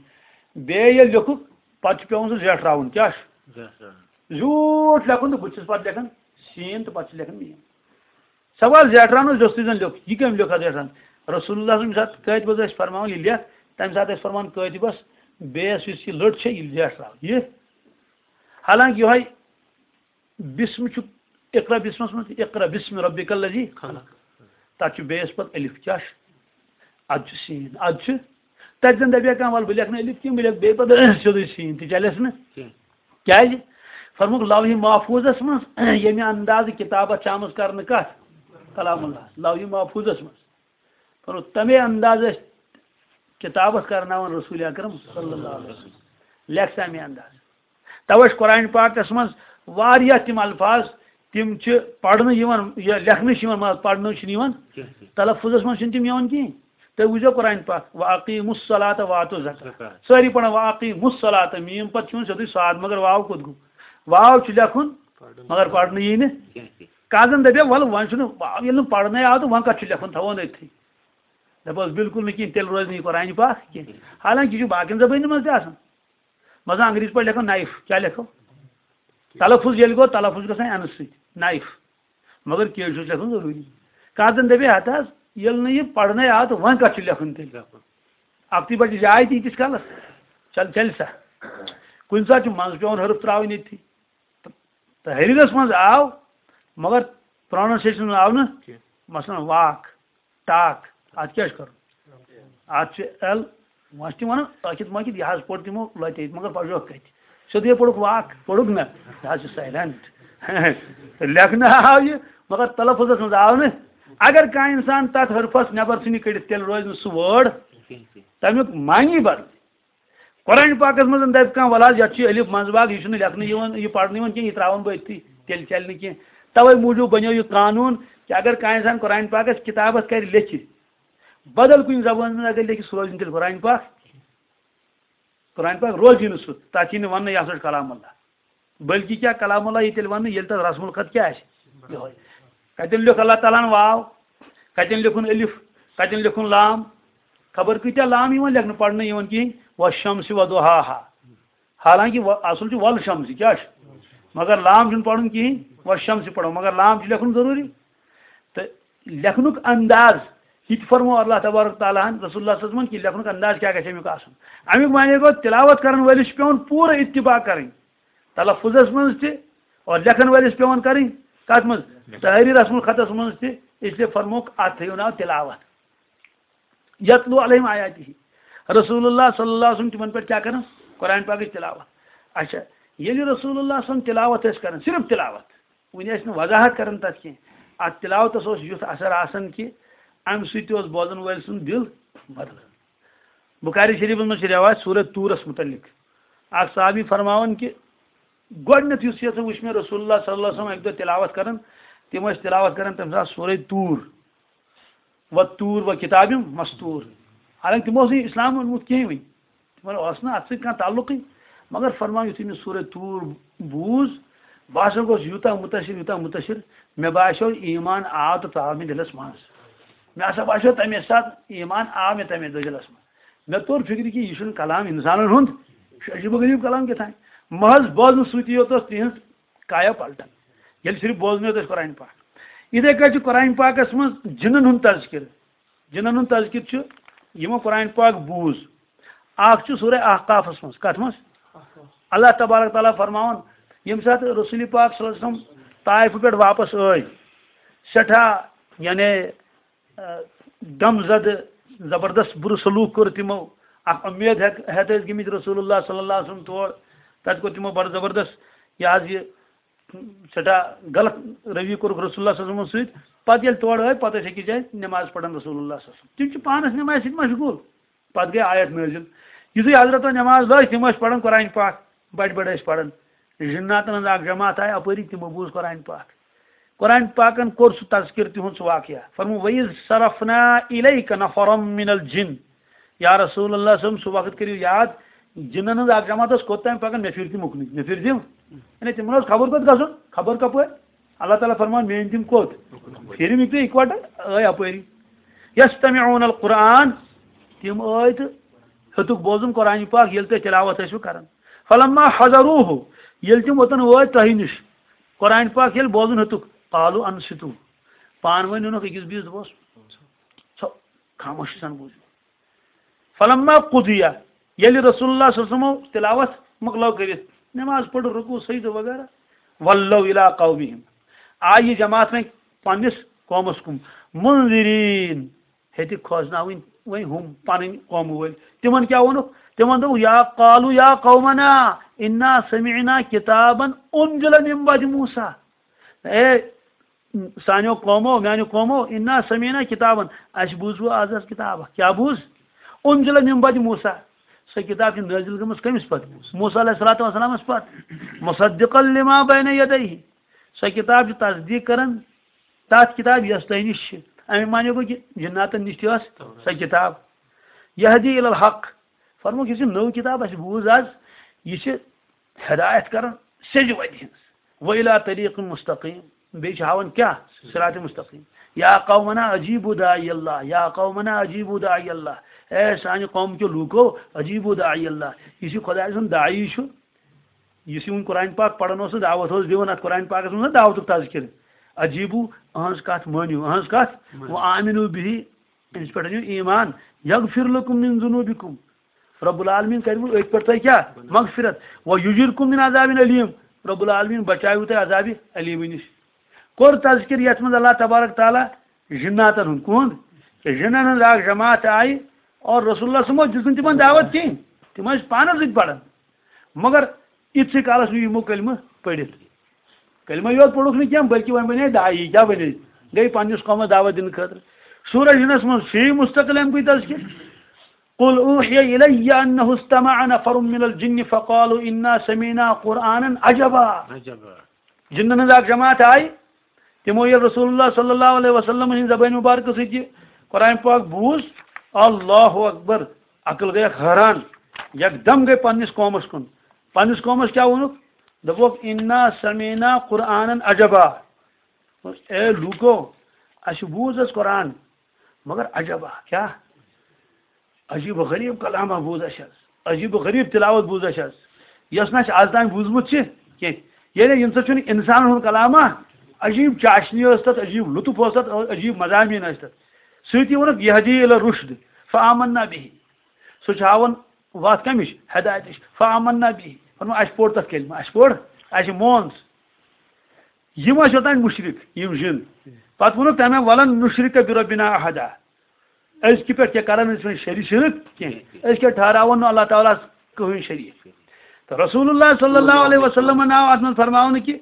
بیٚیہِ ییٚلہِ لیوٚکھُکھ، پتہٕ چھُ پٮ۪وان سُہ زیٹھراوُن۔ کیٛاہ چھُ؟ زیٹھراوُن۔ زیوٗٹھ لیکھُن تہٕ بُتھِ چھُس پتہٕ لیکھان سین تہٕ پتہٕ چھُ لیکھان میم۔ سوال زیٹھراونس یوٚس تُہۍ زن لیوٚکھ، یہِ کٔمۍ لیوٚکھ اتھ زیٹھراونس؟ رسول اللہ صلی اللہ علیہ وسلم ییٚمہِ ساتہٕ کٲتِبس ٲسۍ فرماوان یہِ لیکھ، تمہِ ساتہٕ ٲسۍ فرمان کٲتِبس، بیٚیس یُس یہِ لٔٹ چھےٚ، یہِ زیٹھراو۔ یہِ حالانکہ یِہوٚے بسم چھُ اقرا بسمس منٛز، اقرا بسم ربک الذی خلق۔ تتھ چھُ بیٚیس پتہٕ الف، کیٛاہ چھُ؟ ادٕ چھُ سین، ادٕ چھُ۔ تتہِ زن دپہِ ہا کانٛہہ، ولہٕ بہٕ لیکھٕ نہٕ الف کینٛہہ، بہٕ لیکھٕ بیٚیہِ پتہٕ سیوٚدُے سین، تہِ چلٮ۪س نہٕ۔ کینٛہہ۔ کیٛازِ؟ فرمووُکھ لوحِ محفوظس منٛز ییٚمہِ اندازٕ کتابت چھِ آمٕژ کرنہٕ کتھ؟ کلام اللہ۔ لوحِ محفوظس منٛز۔ فرمووُکھ تمے اندازٕ ٲسۍ کتابت کرناوان رسول اکرم صلی اللہ علیہ وسلم۔ لیکھ سا مےٚ انداز۔ توے چھِ قرآن پاکس منٛز واریاہ تِم الفاظ، تِم چھِ پرنہٕ یِوان، یا لیکھنہٕ چھِ یِوان، مگر پرنہٕ چھِنہٕ یِوان۔ کینٛہہ، کینٛہہ۔ تلفظس منٛز چھِنہٕ تِم یِوان کِہیٖنۍ۔ تُہۍ وٕچھزیو قرآن پاک، "وَأَقِیمُوا الصَّلَاةَ وَآتُوا الزَّکَاةَ۔" الزَّکَاةَ۔ سٲری پران "وَأَقِیمُوا الصَّلَاةَ"، میٖم پتہٕ چھُ یِوان سیوٚدُے صاد، مگر واو کوٚت گوٚو؟ واو چھُ لیکھُن، پرُن۔ مگر پرنہٕ یی نہٕ۔ کینٛہہ، کینٛہہ۔ کانٛہہ زن دپہِ، "وَلہٕ وۄنۍ چھُنہٕ واو، ییٚلہِ نہٕ پرنَے آو تہٕ وۄنۍ کتھ چھُ لیکھُن، تھاوو نٔتھی۔" دپوس، "بِلکُل نہٕ کِہیٖنۍ، تیٚلہِ روزِ نہٕ یہِ قرآن پاک کینٛہہ۔" حالانکہ یہِ چھُ باقین زبٲنۍ منٛز تہِ آسان۔ مثلاً انگریزی پٲٹھۍ لیکھو نائف، کیٛاہ لیکھو؟ تلفظ ییٚلہِ گوٚو، تلفظ چھُ گژھان اَنہٕ سۭتۍ، نائف۔ مگر کیٛازِ چھُس لیکھُن ضروٗری؟ کانٛہہ زن دپہِ، ہتا حظ، ییٚلہِ نہٕ یہِ پرنَے آو تہٕ وۄنۍ کتھ چھُ لیکھُن تیٚلہِ؟ اکھتُے بچہِ جاے تہِ ییٖتِس کالس، چل، چلہِ سا۔ کُنہِ ساتہٕ چھُ منٛزٕ پٮ۪وان حرف ترٛاوٕنۍ ییٚتھی۔ تحریرس منٛز آو، مگر پروننسیشن منٛز آو نہٕ۔ کینٛہہ۔ مثلاً واک، ٹاک، اتھ کیٛاہ چھُ کرُن؟ اتھ چھُ ایل، وۄنۍ چھِ تِم ونان ٲکھِتھ مٲکھِتھ، یہِ حظ پوٚر تِمو لۄتہِ، مگر پجوکھ کتہِ؟ سیوٚدُے پوٚرُکھ واک، پوٚرُکھ نہ، یہِ حظ چھُ سایلنٹ۔ لیکھنہٕ آو یہِ، مگر تلفظس منٛز آو نہٕ۔ اگر کانٛہہ انسان تتھ حرفس نٮ۪بر ژھٕنہِ کٔڑِتھ، تیٚلہِ روزِ نہٕ سُہ وٲڈ، تمیُک معنی بدلہِ۔ قرآن پاکس منٛز دپہِ کانٛہہ، "ولہٕ حظ، یتھ چھُ الف منٛز باگ، یہِ چھُنہٕ لیکھنہٕ یِوان، یہِ پرنہٕ یِوان کینٛہہ، یہِ ترٛاوان بہٕ أتھی، تیٚلہِ چلہِ نہٕ کینٛہہ۔" توے موٗجوٗب بنیو یہِ قانوٗن کہِ اگر کانٛہہ انسان قرآن پاکس کتابس کرِ لیکھِ، بدل کُنہِ زبٲنۍ منٛز اگر لیکھِ، سُہ روزِ نہٕ تیٚلہِ قرآن پاک۔ قرآن پاک روزِ نہٕ سُہ، تتھ یی نہٕ وننہٕ، یہِ ہسا چھُ کلام اللہ۔ بلکہ کیا کلام اللہ یی تیٚلہِ وننہٕ، ییٚلہِ تتھ رسم الخط کیٛاہ آسہِ؟ یِہوٚے۔ کتٮ۪ن لیوٚکھ اللہ تعالیٰ ہن واو، کتٮ۪ن لیوٚکھُن الف، کتٮ۪ن لیوٚکھُن لام؟ خبر کۭتیاہ لام یِوان لیکھنہٕ، پرنہٕ یِوان کِہیٖنۍ۔ "والشمس وضحاها"۔ حالانکہ و-، اصل چھُ "والشمس"، کیٛاہ چھُ؟ مگر لام چھُنہٕ پرُن کِہیٖنۍ، "والشمس" پرو، مگر لام چھُ لیکھُن ضروٗری۔ تہٕ لیکھنُک انداز، یہِ تہِ فرموو اللہ تبارک تعالیٰ ہن رسول اللہ صلی اللہ علیہ وسلمن کہِ لیکھنُک انداز کیٛاہ گژھِ امیُک آسُن۔ امیُک معنی گوٚو، تِلاوت کرن وٲلِس چھُ پٮ۪وان پوٗرٕ اتباع کرٕنۍ۔ تلفظس منٛز تہِ اور لیکھن وٲلِس پٮ۪وان کرٕنۍ کتھ منٛز؟ تحریٖر رسم الخطس منٛز تہِ۔ اس لیے فرمووُکھ، اتھ تھٲیِو ناو تلاوت۔ یتلو علیہم آیاتہ۔ رسول اللہ صلی اللہ علیہ وسلم تِمن پٮ۪ٹھ کیٛاہ کران؟ قرآن پاکٕچ تلاوت۔ اچھا، ییٚلہِ رسول اللہ صلی اللہ علیہ وسلم تلاوت ٲسۍ کران، صرف تلاوت، وُنہِ ٲسۍ نہٕ وضاحت کران تتھ کینٛہہ۔ اتھ تلاوتس اوس یُتھ اثر آسان کہِ امہِ سۭتۍ تہِ اوس بوزن وٲلۍ سُنٛد دِل بدلان۔ بخاری شریفس منٛز چھِ روایت سورہ طورس متعلق۔ اکھ صحابی فرماوان کہِ گۄڈٕنیتھ یُس یژھ وُچھ مےٚ رسول اللہ صلی اللہ علیہ وسلم اکہِ دۄہ تلاوت کران، تِم ٲسۍ تلاوت کران تمہِ ساتہٕ سورہ طور، "و طور و کتاب مستور"۔ حالانکہ تِمو اوس نہٕ اسلام اوٚنمُت کِہیٖنۍ وُنہِ، تِمن اوس نہٕ اتھ سۭتۍ کانٛہہ تعلقٕے۔ مگر فرمان یُتھُے مےٚ سورہ طور بوٗز، بہٕ ہسا گوس یوٗتاہ مُتٲثر، یوٗتاہ مُتٲثر، مےٚ باسیو ایمان آو تہٕ ژاو مےٚ دِلس منٛز۔ مےٚ ہسا باسیو تمے ساتہٕ ایمان آو مےٚ تمے دۄہ دِلس منٛز۔ مےٚ توٚر فِکرِ کہِ یہِ چھُنہٕ کلام اِنسانن ہُنٛد، یہِ چھُ عجیٖب و غریٖب کلام کیٛاہ تام۔ محض بوزنہٕ سۭتی یوت ٲس تِہنٛز کایا پلٹان، ییٚلہِ صرف بوزنہٕ یوت ٲسۍ قرآن پاک۔ یِتھے کٔنۍ چھُ قرآن پاکس منٛز جِنن ہُنٛد تذکرٕ۔ جِنن ہُنٛد تذکرٕ چھُ، یِمو قرآن پاک بوٗز۔ اکھ چھُ سورہ احقافس منٛز، کتھ منٛز؟ اللہ تبارک تعالیٰ فرماوان، ییٚمہِ ساتہٕ رسول پاک صلی اللہ علیہ وسلم طائفہٕ پٮ۪ٹھ واپس ٲے، سٮ۪ٹھاہ، یعنی، آ، غم زدٕ، زبردست بُرٕ سلوٗک کوٚر تِمو۔ اکھ اُمید ہٮ۪تھ، ہٮ۪تھ ٲسۍ گٔمٕتۍ رسول اللہ صلی اللہ علیہ وسلم تور۔ تتہِ کوٚر تِمو بڑٕ زبردست، یہِ حظ یہِ، سٮ۪ٹھاہ غلط رویہِ کوٚرُکھ رسول اللہ صلی اللہ علیہ وسلمس سۭتۍ۔ پتہٕ ییٚلہِ تورٕ ٲے، پتہٕ ٲسۍ أکِس جایہِ نٮ۪ماز پران رسول اللہ صلی اللہ علیہ وسلم۔ تِم چھِ پانس نٮ۪مازِ سۭتۍ مشغول۔ پتہٕ گٔے آیت نٲزِل۔ یُتھُے حضرتن نٮ۪ماز لٲج، تِم ٲسۍ پران قرآن پاک، بڑِ بڑِ ٲسۍ پران۔ جناتن ہٕنٛز اکھ جماعت آیہِ اپٲری، تِمو بوٗز قرآن پاک۔ قرآن پاکن کوٚر سُہ تذکر تِہُنٛد سُہ واقعہ۔ فرموو، "وَإِذْ صَرَفْنَا إِلَيْكَ نَفَرًا مِنَ الْجِنِّ"۔ یا رسول اللہ صلی اللہ علیہ وسلم، سُہ وقت کٔرِو یاد، جِنن ہٕنٛز اکھ جماعت ٲس کوٚت تام پکان، مےٚ پھِر تِم اُکنُے، مےٚ پھِر تِم۔ یعنی تِمن اوس خبر کوٚت گژھُن، خبر کپٲرۍ۔ اللہ تعالیٰ فرمان، میٲنۍ تِم کوٚت؟ پھِرِم یِکوَٹہٕ، ٲے اپٲری۔ یَسْتَمِعُونَ الْقُرْآنَ، تِم ٲے تہٕ ہیوٚتُکھ بوزُن قرآن پاک، ییٚلہِ تُہۍ تِلاوت ٲسِو کران۔ فَلَمَّا حَضَرُوهُ، ییٚلہِ تِم اوٚتَن وٲتۍ تۄہہِ نِش، قرآن پاک ییٚلہِ بوزُن ہیوٚتُکھ، قَالُوا أَنْصِتُوا، پانہٕ ؤنۍ ووٚنُکھ أکِس بیٚیِس، دوس، ژھو، خاموشی سان بوٗزِو۔ فَلَمَّا قُضِيَ، ییٚلہِ رسول اللہ صلی اللہ علیہ وسلمو تلاوت مۄکلٲو کٔرِتھ، نماز پٔر، رکوع، سجدٕ وغیرہ، وَلَّوْا إِلَىٰ قَوْمِهِمْ، آیہِ یہِ جماعت وۄنۍ پننِس قومس کُن، مُنذِرِیٖن، ہیٚتہِ کھوژناوٕنۍ وۄنۍ ہُم پنٕنۍ قومہٕ وٲلۍ۔ تِمن کیٛاہ ووٚنُکھ؟ تِمن دوٚپُکھ، یا قَالُوا یا قَوْمَنَا إِنَّا سَمِعْنَا كِتَابًا أُنْزِلَ مِنْ بَعْدِ مُوسَىٰ، اے سانیو قومو، میانیو قومو، اِنَّا سَمِعْنَا كِتَابًا، اَسہِ بوٗز وۄنۍ آز حظ کِتاب اَکھ۔ کیٛاہ بوٗز؟ أُنْزِلَ مِنْ بَعْدِ مُوسَىٰ، سۄ کِتاب چھِ نٲزِل گٔمٕژ کٔمِس پتہٕ؟ موسیٰ علیہ الصلوۃ والسلامَس پتہٕ۔ مُصَدِّقًا لِمَا بَيْنَ يَدَيْهِ، سۄ کِتاب چھِ تصدیٖق کران تَتھ کِتابہِ یۄس تۄہہِ نِش چھِ۔ اَمہِ معنی گوٚو کہِ جِناتَن نِش تہِ ٲس سۄ کِتاب۔ یَہْدِی اِلَى الْحَقِّ، فرمووُکھ، یُس یہِ نٔو کِتاب اَسہِ بوٗز آز، یہِ چھِ ہدایت کران سیٚزِ وَتہِ ہِنٛز۔ وَإِلَىٰ طَرِيقٍ مُسْتَقِيمٍ، بیٚیہِ چھِ ہاوان کیٛاہ؟ صِرَاطِ مُسْتَقِيمٍ۔ یا قَوْمَنَا أَجِیبُوا دَاعِیَ اللَّهِ، یا قَوْمَنَا أَجِیبُوا دَاعِیَ اللَّهِ، اے سانہِ قوم کیو لوٗکو، أَجیبُوا دَاعِیَ اللَّهِ، یُس یہِ خۄداے سُنٛد داعی چھُ، یُس یہِ وۄنۍ قرآن پاک پران اوس تہٕ دعوت اوس دِوان، اَتھ قرآن پاکَس منٛز دعوتُک تذکرٕ، أَجیبُوا، أہٕنٛز کَتھ مٲنِو، أہٕنٛز کَتھ، مٲنِو۔ وَآمِنُوا بِهِ، أمِس پٮ۪ٹھ أنِو ایٖمان، یَغْفِر لَکُم مِّن ذُنُوبِکُم، رب العالمین کَرِوٕ أتھۍ پٮ۪ٹھ تۄہہِ کیٛاہ؟ مغفرت۔ وَیُجِرْکُم مِّن عَذَابٍ أَلیٖم، رب العالمین بچاوٕ تۄہہِ عذابِ ألیٖمہٕ نِش۔ کوٚر تذکر یَتھ منٛز اللہ تبارک تعالیٰ جِناتَن ہُنٛد۔ کُہُنٛد؟ کہِ جِنَن ہٕنٛز اَکھ جماعت آیہِ اور رسول اللہ صلی اللہ علیہ وسلم دِژ نہٕ تِمَن دعوت کِہیٖنۍ۔ تِم ٲسۍ پانَس سۭتۍ پَران۔ مگر یِتھسٕے کالَس نہٕ یِمو کلمہٕ پٔرِتھ۔ کلمہ یوت پوٚرُکھ نہٕ کینٛہہ، بلکہِ وۄنۍ بنے داعی، کیٛاہ بنے؟ گٔے پننِس قومس دعوت دِنہٕ خٲطرٕ۔ سورہ یونس منٛز چھُ یہِ مستقل اَمہِ کُے تذکر۔ قل اوحی الی انہ استمع نفر من الجن فقالوا انا سمعنا قرآنا عجبا۔ عجبا۔ جِنن ہٕنٛز اکھ جماعت آیہِ، تِمو ییٚلہِ رسول اللہ صلی اللہ علیہ وسلم ہٕنٛزِ زبٲنۍ مبارکہٕ سۭتۍ یہِ قرآن پاک بوٗز، اللہ اکبر، عقل گٔیکھ حٲران، یکدم گٔے پننِس قومس کُن۔ پننِس قومس کیٛاہ ووٚنُکھ؟ دوٚپُکھ، "انا سمعنا قرآنا عجبا"۔ اے لوٗکو، اَسہِ بوٗز حظ قرآن، مگر عجبا، کیٛاہ؟ عجیب و غریب کلامہ بوٗز اَسہِ حظ، عجیب و غریب تلاوت بوٗز اَسہِ حظ، یۄس نہٕ اَسہِ آز تام بوٗزمُت چھِ کینٛہہ۔ یعنی ییٚمہِ سۭتۍ چھُنہٕ اِنسانَن ہُنٛد کلامہ، عجیب چاشنی ٲس تَتھ، عجیب لطف اوس تَتھ، عجیب مضامین ٲسۍ تَتھ۔ سۭتی ووٚنُکھ، "یہدی الی الرشد فآمنا بہ"، سُہ چھُ ہاوان وَتھ کَمِچ؟ ہدایتٕچ۔ فآمنا بہ، فرموو، اَسہِ پوٚر تَتھ کلمہ، اَسہِ پوٚر، اَسہِ مون سُہ۔ یِم ٲسۍ اوٚتام مُشرِک، یِم جِن۔ پَتہٕ ووٚنُکھ تَمہِ، "ولن نشرک بربنا احدا"، أزکہِ پٮ۪ٹھ کیٛاہ کَرَن أسۍ وۄنۍ شری شرک کینٛہہ؟ أسۍ کیٛاہ ٹھہراوون نہٕ اللہ تعالیٰ ہَس کٕہٕنۍ شریٖک؟ تہٕ رسول اللہ صلی اللہ علیہ وسلمن آو اَتھ منٛز فرماونہٕ کہِ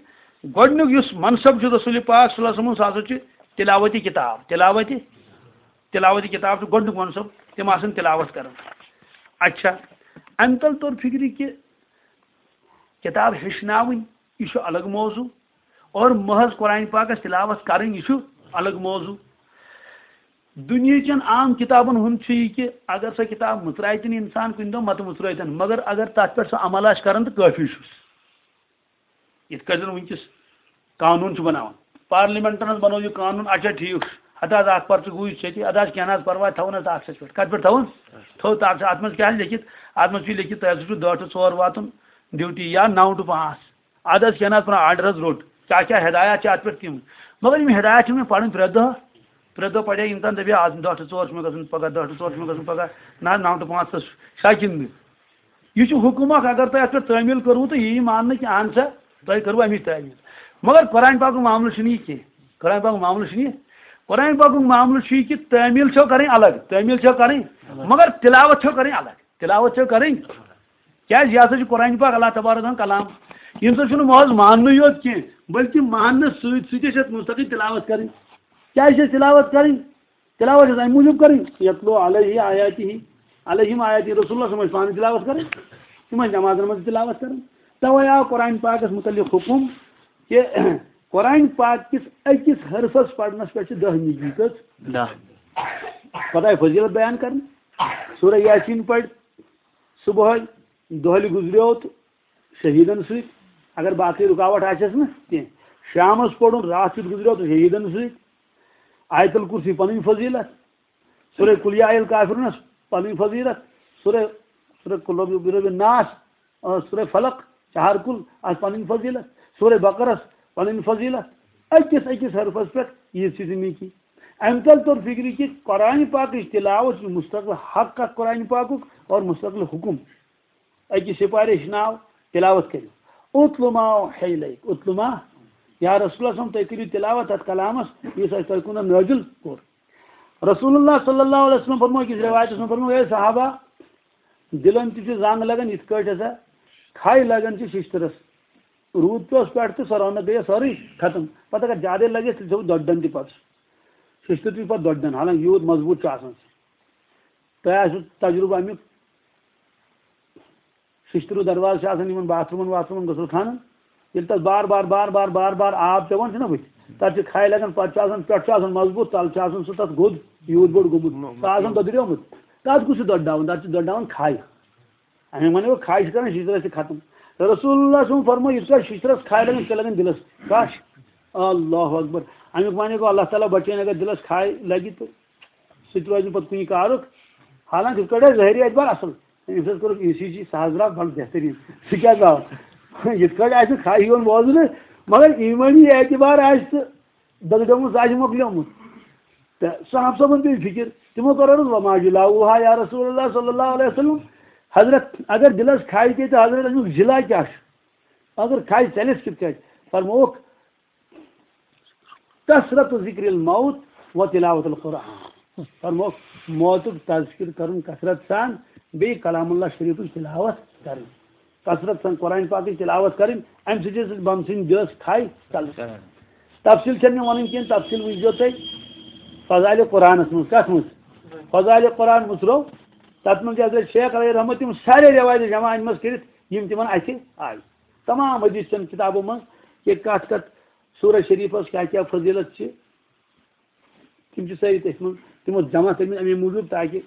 گۄڈٕنیُک یُس منصب چھُ رسول پاک صلی اللہ علیہ وسلمن، سُہ ہسا چھُ تلاوت کتاب، تلاوت، تلاوت کتاب چھُ گۄڈٕنیُک منصب، تِم آسَن تلاوت کران۔ اچھا، اَمہِ تَل توٚر فِکرِ کہِ کِتاب ہیٚچھناوٕنۍ، یہِ چھُ الگ موضوع، اور محض قرآن پاکس تلاوت کرٕنۍ، یہِ چھُ الگ موضوع۔ دُنیہٕچن عام کِتابن ہُنٛد چھُ یہِ کہِ اگر سۄ کِتاب مُژرایہِ تہِ نہٕ اِنسان کُنہِ دۄہ، متہٕ مُژرٲوتن، مگر اگر تتھ پٮ۪ٹھ سُہ عمل آسہِ کران تہٕ کٲفی چھُس۔ یِتھ کٔنۍ زن وٕنکیٚس قانوٗن چھُ بناوان، پارلمنٹن حظ بنوو یہِ قانوٗن، اچھا ٹھیٖک چھُ، ہتہٕ حظ اکھ پرچہٕ گوٗج چھِ ییٚتہِ، ادٕ حظ کینٛہہ نہ حظ پرواے، تھاوُن حظ تاخچس پٮ۪ٹھ۔ کتھ پٮ۪ٹھ تھاوُن؟ تھٲو تاخچس۔ اتھ منٛز کیٛاہ حظ لیکھِتھ؟ اتھ منٛز چھُ لیکھِتھ، تۄہہِ ہسا چھُ دہ ٹُو ژور واتُن ڈیوٹی یا نو ٹُو پانٛژھ۔ ادٕ حظ کینٛہہ نہ حظ پرواے، آرڈر حظ روٚٹ۔ کیٛاہ کیٛاہ ہدایات چھِ اتھ پٮ۪ٹھ تِم؟ مگر یِم ہدایات چھِ مےٚ پرٕنۍ پرٛٮ۪تھ دۄہ۔ پرٛٮ۪تھ دۄہ پرے اِنسان دَپہِ، آز دَہ ٹُو ژور چھُ مےٚ گژھُن پگاہ، دَہ ٹُو ژور چھُ مےٚ گژھُن پگاہ، نہ حظ، نَو ٹُو پانٛژھ حظ چھا کِنہٕ نہٕ؟ یہِ چھُ حُکُم اَکھ، اگر تۄہہِ اَتھ پٮ۪ٹھ تعمیٖل کٔروٕ تہٕ یہِ یی ماننہٕ کہِ اَہَن سا، تۄہہِ کٔروٕ اَمِچ تعمیٖل۔ مگر قرآن پاکُک معاملہٕ چھُنہٕ یہِ کینٛہہ۔ قرآن پاکُک معاملہٕ چھُنہٕ یہِ۔ قرآن پاکُک معاملہٕ چھُ یہِ کہِ تعمیٖل چھو کَرٕنۍ الگ، تعمیٖل چھو کَرٕنۍ، مگر تِلاوت چھو کَرٕنۍ الگ۔ تِلاوت چھو کَرٕنۍ۔ کیٛازِ؟ یہِ ہسا چھُ قرآن پاک، اللہ تبارک و تعالیٰ ہُنٛد کلام۔ ییٚمہِ سۭتۍ چھُنہٕ محض ماننُے یوت کینٛہہ، بلکہِ ماننہٕ سۭتۍ سۭتۍ چھِ اَسہِ مستقل تِلاوت کَرٕنۍ۔ کیٛازِ چھِ اَسہِ تِلاوت کَرٕنۍ؟ تِلاوت چھِ اَسہِ اَمہِ موٗجوٗب کَرٕنۍ، یتلو علیہ آیاتہ، علیہم آیاتہ، رسول اللہ صلی اللہ علیہ وسلم ٲسۍ پانہٕ تِلاوت کَرٕنۍ، تِمن نٮ۪مازن منٛز تہِ تِلاوت کَرٕنۍ۔ تَوَے آو قرآن پاکس مُتعلق حُکُم کہِ قرآن پاک کِس أکِس حرفس پرنس پٮ۪ٹھ چھِ دَہ نیکی۔ کٔژ؟ دَہ۔ پتہٕ آیہِ فضیلت بیان کرنہٕ۔ سورہ یاسین پرِ صبحٲے، دۄہلہِ گُزریو تہٕ شہیدن سۭتۍ، اگر باقٕے رُکاوٹ آسٮ۪س نہٕ کینٛہہ۔ شامس پرُن، راتھ کیُتھ گُزریو تہٕ شہیدن سۭتۍ۔ آیت الکرسی پنٕنۍ فضیلت، سورہ قل یا ایہا الکافرونس پنٕنۍ فضیلت، سورہ، سورہ قل اعوذ برب الناس، آ، سورہ فلق، چہار کل، آسہِ پنٕنۍ فضیلت، سورہ بقرس پنٕنۍ فضیلت۔ أکِس أکِس حرفس پٮ۪ٹھ ییٖژ ییٖژ نیکی۔ اَمہِ تل توٚر فِکرِ کہِ قرآن پاکٕچ تِلاوت چھِ مستقل حق اکھ قرآن پاکُک اور مستقل حُکُم۔ أکِس سپارِ ہیٚچھناو، تِلاوت کٔرِو۔ اتل ما اوحی الیک، اتل ما، یا رسول اللہ صلی اللہ علیہ وسلم، تُہۍ کٔرِو تِلاوت اتھ کلامس، یُس اَسہِ تۄہہِ کُن نٲزِل کوٚر۔ رسول اللہ صلی اللہ علیہ وسلم فرموو أکِس روایتس منٛز، فرموو، اے صحابہ، دِلن تہِ چھِ زنگ لگان یِتھ کٲٹھۍ ہسا کھے لگان چھِ ششتٕرس۔ روٗد پیوس پٮ۪ٹھ تہٕ سۄ رونق گٔیس سٲرٕے ختم۔ پتہٕ اگر زیادے لگٮ۪س، تیٚلہِ چھُ دۄدڈن تہِ پتہٕ۔ ششتٕر تہِ چھُ پتہٕ دۄدڈن، حالانکہِ یوٗت مضبوٗط چھُ آسان سُہ۔ تۄہہِ آسیو تجرُبہٕ امیُک۔ ششتٕروٗ دروازٕ چھِ آسان یِمن باتھ روٗمن واتھ روٗمن، غسل خانن۔ ییٚلہِ تَتھ بار بار، بار بار، بار بار آب پٮ۪وان چھُنہ بٕتھِ، تَتھ چھِ کھے لگان، پَتہٕ چھُ آسان، پٮ۪ٹھ چھُ آسان مضبوٗط، تَلہٕ چھُ آسان سُہ تَتھ گوٚد، یوٗت بوٚڑ گوٚمُت، سُہ آسان دۄدریومُت۔ تَتھ کُس چھُ دۄدراوُن؟ تَتھ چھِ دۄدراوان کھے۔ اَمے وَنو کھے چھِ کران شِشتٕرَس تہِ ختم۔ رسول اللہ صٲبُن فرموو، یُس کانٛہہ شِشتٕرَس کھے لگان، تہِ لگان دِلَس۔ کَش؟ اللہ اکبر۔ اَمیُک معنی گوٚو، اللہ تعالیٰ بچٲیِن، اگر دِلَس کھے لگہِ تہٕ سُہ تہِ روزِ نہٕ پَتہٕ کُنہِ کارُک۔ حالانکہ یِتھ کٲٹھۍ آسہِ ظٲہری اعتبار اَصٕل۔ أمِس حظ کوٚرُکھ ای سی جی، سُہ حظ درٛاو بَڑٕ بہتریٖن۔ سُہ کیٛاہ درٛاو؟ یِتھ کٲٹھۍ آسہِ نہٕ کھَے یِوان بوزنہٕ، مگر ایٖمٲنی اعتبار آسہِ تہٕ دۄدریومُت، سُہ آسہِ مۄکلیومُت۔ تہٕ صحابہٕ صٲبَن پیٚیہِ فِکِر، تِمو کٔر عرض، "وما جلاؤہا یا رسول اللہ صلی اللہ علیہ وسلم؟" حضرت، اگر دِلَس کھَے پیٚیہِ تہٕ حضرت، اَمیُک جِلا کیٛاہ چھُ؟ اگر کھَے ژَلٮ۪س کِتھ کٲٹھۍ؟ فرمووُکھ، کثرت ذکر الموت و تلاوت القرآن۔ فرمووُکھ، موتُک تذکر کرُن کثرت سان، بیٚیہِ کلام اللہ شریفٕچ تلاوت کرٕنۍ۔ کثرت سان قرآن پاکٕچ تلاوت کرٕنۍ، اَمہِ سۭتۍ ہسا بنسٕنۍ دِلس کھے ژلٕنۍ۔ تفصیل چھَنہٕ مےٚ وَنٕنۍ کینٛہہ، تفصیل وٕچھزیو تُہۍ فضائل قرآنس منٛز۔ کتھ منٛز؟ فضائل قرآن مُژرو، تتھ منٛز چھِ حضرت شیخ علیہ رحمت تِم سارے روایتہٕ جمع اَنہِ منٛز کٔرِتھ، یِم تِمن اَتھِ آیہِ۔ تمام حدیث چن کتابو منٛز، کہ کتھ کتھ سورہ شریفس کیٛاہ کیٛاہ فضیلت چھِ، تِم چھِ سٲری تٔتھۍ منٛز، تِمو جمع کٔرمٕتۍ اَمے موٗجوٗب تاکہِ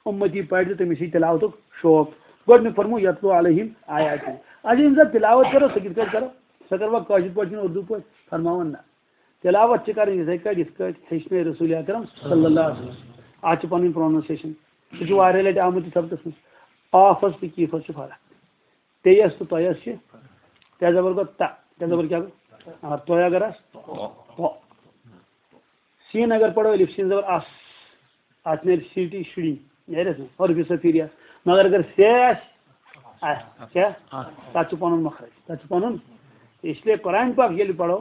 اُمتی پرِ تہٕ تٔمِس یی تِلاوتُک شوق۔ گۄڈٕنیُک فرموو، "یتلو علیہم آیاتہ۔" اَسہِ ییٚمہِ ساتہٕ تِلاوت کرو، سۄ کِتھ کٲٹھۍ کرو؟ سۄ کروا کٲشِر پٲٹھۍ کِنہٕ اُردو پٲٹھۍ؟ فرماوان نہ۔ تِلاوت چھِ کرٕنۍ یِتھَے کٲٹھۍ، یِتھ کٲٹھۍ ہیٚچھنٲے رسول اکرم صلی اللہ علیہ وسلم۔ اَتھ چھِ پنٕنۍ پروننسیشن۔ سُہ چھُ واریاہ لٹہِ آمُت یہِ سبقس منٛز۔ آفس تہٕ کیٖفس چھِ فرق۔ تیس تہٕ تۄیس چھِ، تے زبر گوٚو تہ، تے زبر کیٛاہ گوٚو؟ آ، تۄے اگر آسہِ، تو۔ سیٖن اگر پرو، الف سیٖن زبر اَس، اَتھ نیرِ سیٖٹی شُری، نیرٮ۪س نہٕ؟ حرفِ صفیٖریَس۔ مگر اگر سے آسہِ، آسہِ، کیٛاہ؟ تَتھ چھُ پَنُن مخرج، تَتھ چھُ پَنُن۔ اس لیے قرآن پاک ییٚلہِ پرو،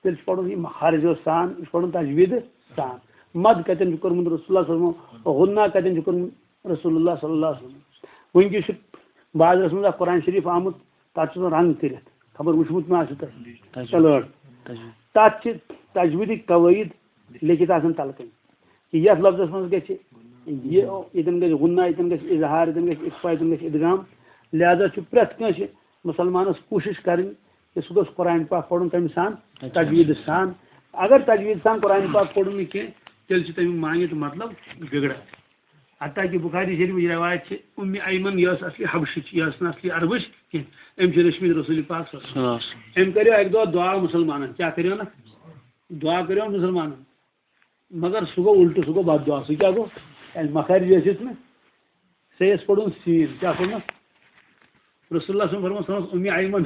تیٚلہِ چھُ پَرُن یہِ مخارجو سان، یہِ چھُ پَرُن تجویٖدٕ سان۔ مد کَتٮ۪ن چھُ کوٚرمُت رسول اللہ صلی اللہ علیہ وسلم، غنہ کَتٮ۪ن چھُ کوٚرمُت رسول اللہ صلی اللہ علیہ وسلم۔ وٕنکیٚس چھُ بازرَس منٛز اَکھ قرآن شریٖف آمُت، تَتھ چھُ آسان رنٛگ کٔرِتھ، خبر وٕچھمُت ما آسہِ تۄہہِ؟ تجویٖد۔ کلٲڑ۔ تجویٖد۔ تَتھ چھِ تجویٖدٕکۍ قوٲیِد لیکھِتھ آسان تَلہٕ کَنۍ۔ کہِ یَتھ لفظَس منٛز گژھِ یہِ، ییٚتٮ۪ن گژھِ غنہ، ییٚتٮ۪ن گژھِ اظہار، ییٚتٮ۪ن گژھِ اخفا، ییٚتٮ۪ن گژھِ ادغام۔ لہذا چھُ پرٛٮ۪تھ کٲنٛسہِ مُسلمانَس کوٗشِش کَرٕنۍ کہِ سُہ گوٚژھ قرآن پاک پَرُن کَمہِ سان؟ تجویٖد۔ تجویٖد سان۔ اگر تجویٖد سان قرآن پاک پوٚرُن نہٕ کینٛہہ، تیٚلہِ چھُ تَمیُک معنی تہٕ مطلب بِگڑان۔ حتیٰ کہ بخاری شریفٕچ روایت چھِ، اُمِ ایمن یہِ ٲس اصلی حبشِچ، یہِ ٲس نہٕ اصلی عربٕچ کینٛہہ۔ أمۍ چھِ رٔچھمٕتۍ رسول پاک صلی اللہ علیہ وسلم۔ أمۍ کریو اکہِ دۄہ دعا مُسلمانن، کیٛاہ کریو نہ؟ دعا کریو مُسلمانن۔ مگر سُہ گوٚو الٹہٕ، سُہ گوٚو بد دعا۔ سُہ کیٛاہ گوٚو؟ ییٚلہِ مخارج ٲسِس نہٕ، ژےٚ ٲس پرُن سیٖن، کیٛاہ پوٚرمُت؟ رسول اللہ صلی اللہ علیہ وسلم فرموو، سۄ ٲس اُمِ ایمن۔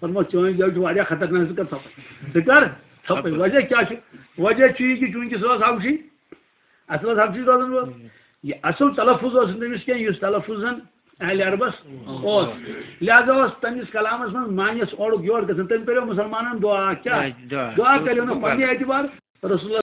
فرموو، چٲنۍ جاے چھِ واریاہ خطرناک، ژٕ کر ژھۄپہٕ۔ ژٕ کر ژھۄپہٕ۔ وجہ کیٛاہ چھُ؟ وجہ چھُ یہِ کہِ چوٗنٛکہِ سۄ ٲس حبشی، اصل ٲس حبشی روزن وٲل۔ یہِ اصل تلفظ اوس نہٕ تٔمِس کینٛہہ، یُس تلفظ زن اہل عربس اوس۔ لہذا اوس تٔمِس کلامس منٛز معنیس اورُک یورٕ گژھان۔ تٔمۍ کریو مسلمانن دعا۔ کیٛاہ؟ دعا۔ دعا کریو نہٕ پننہِ اعتبار، رسول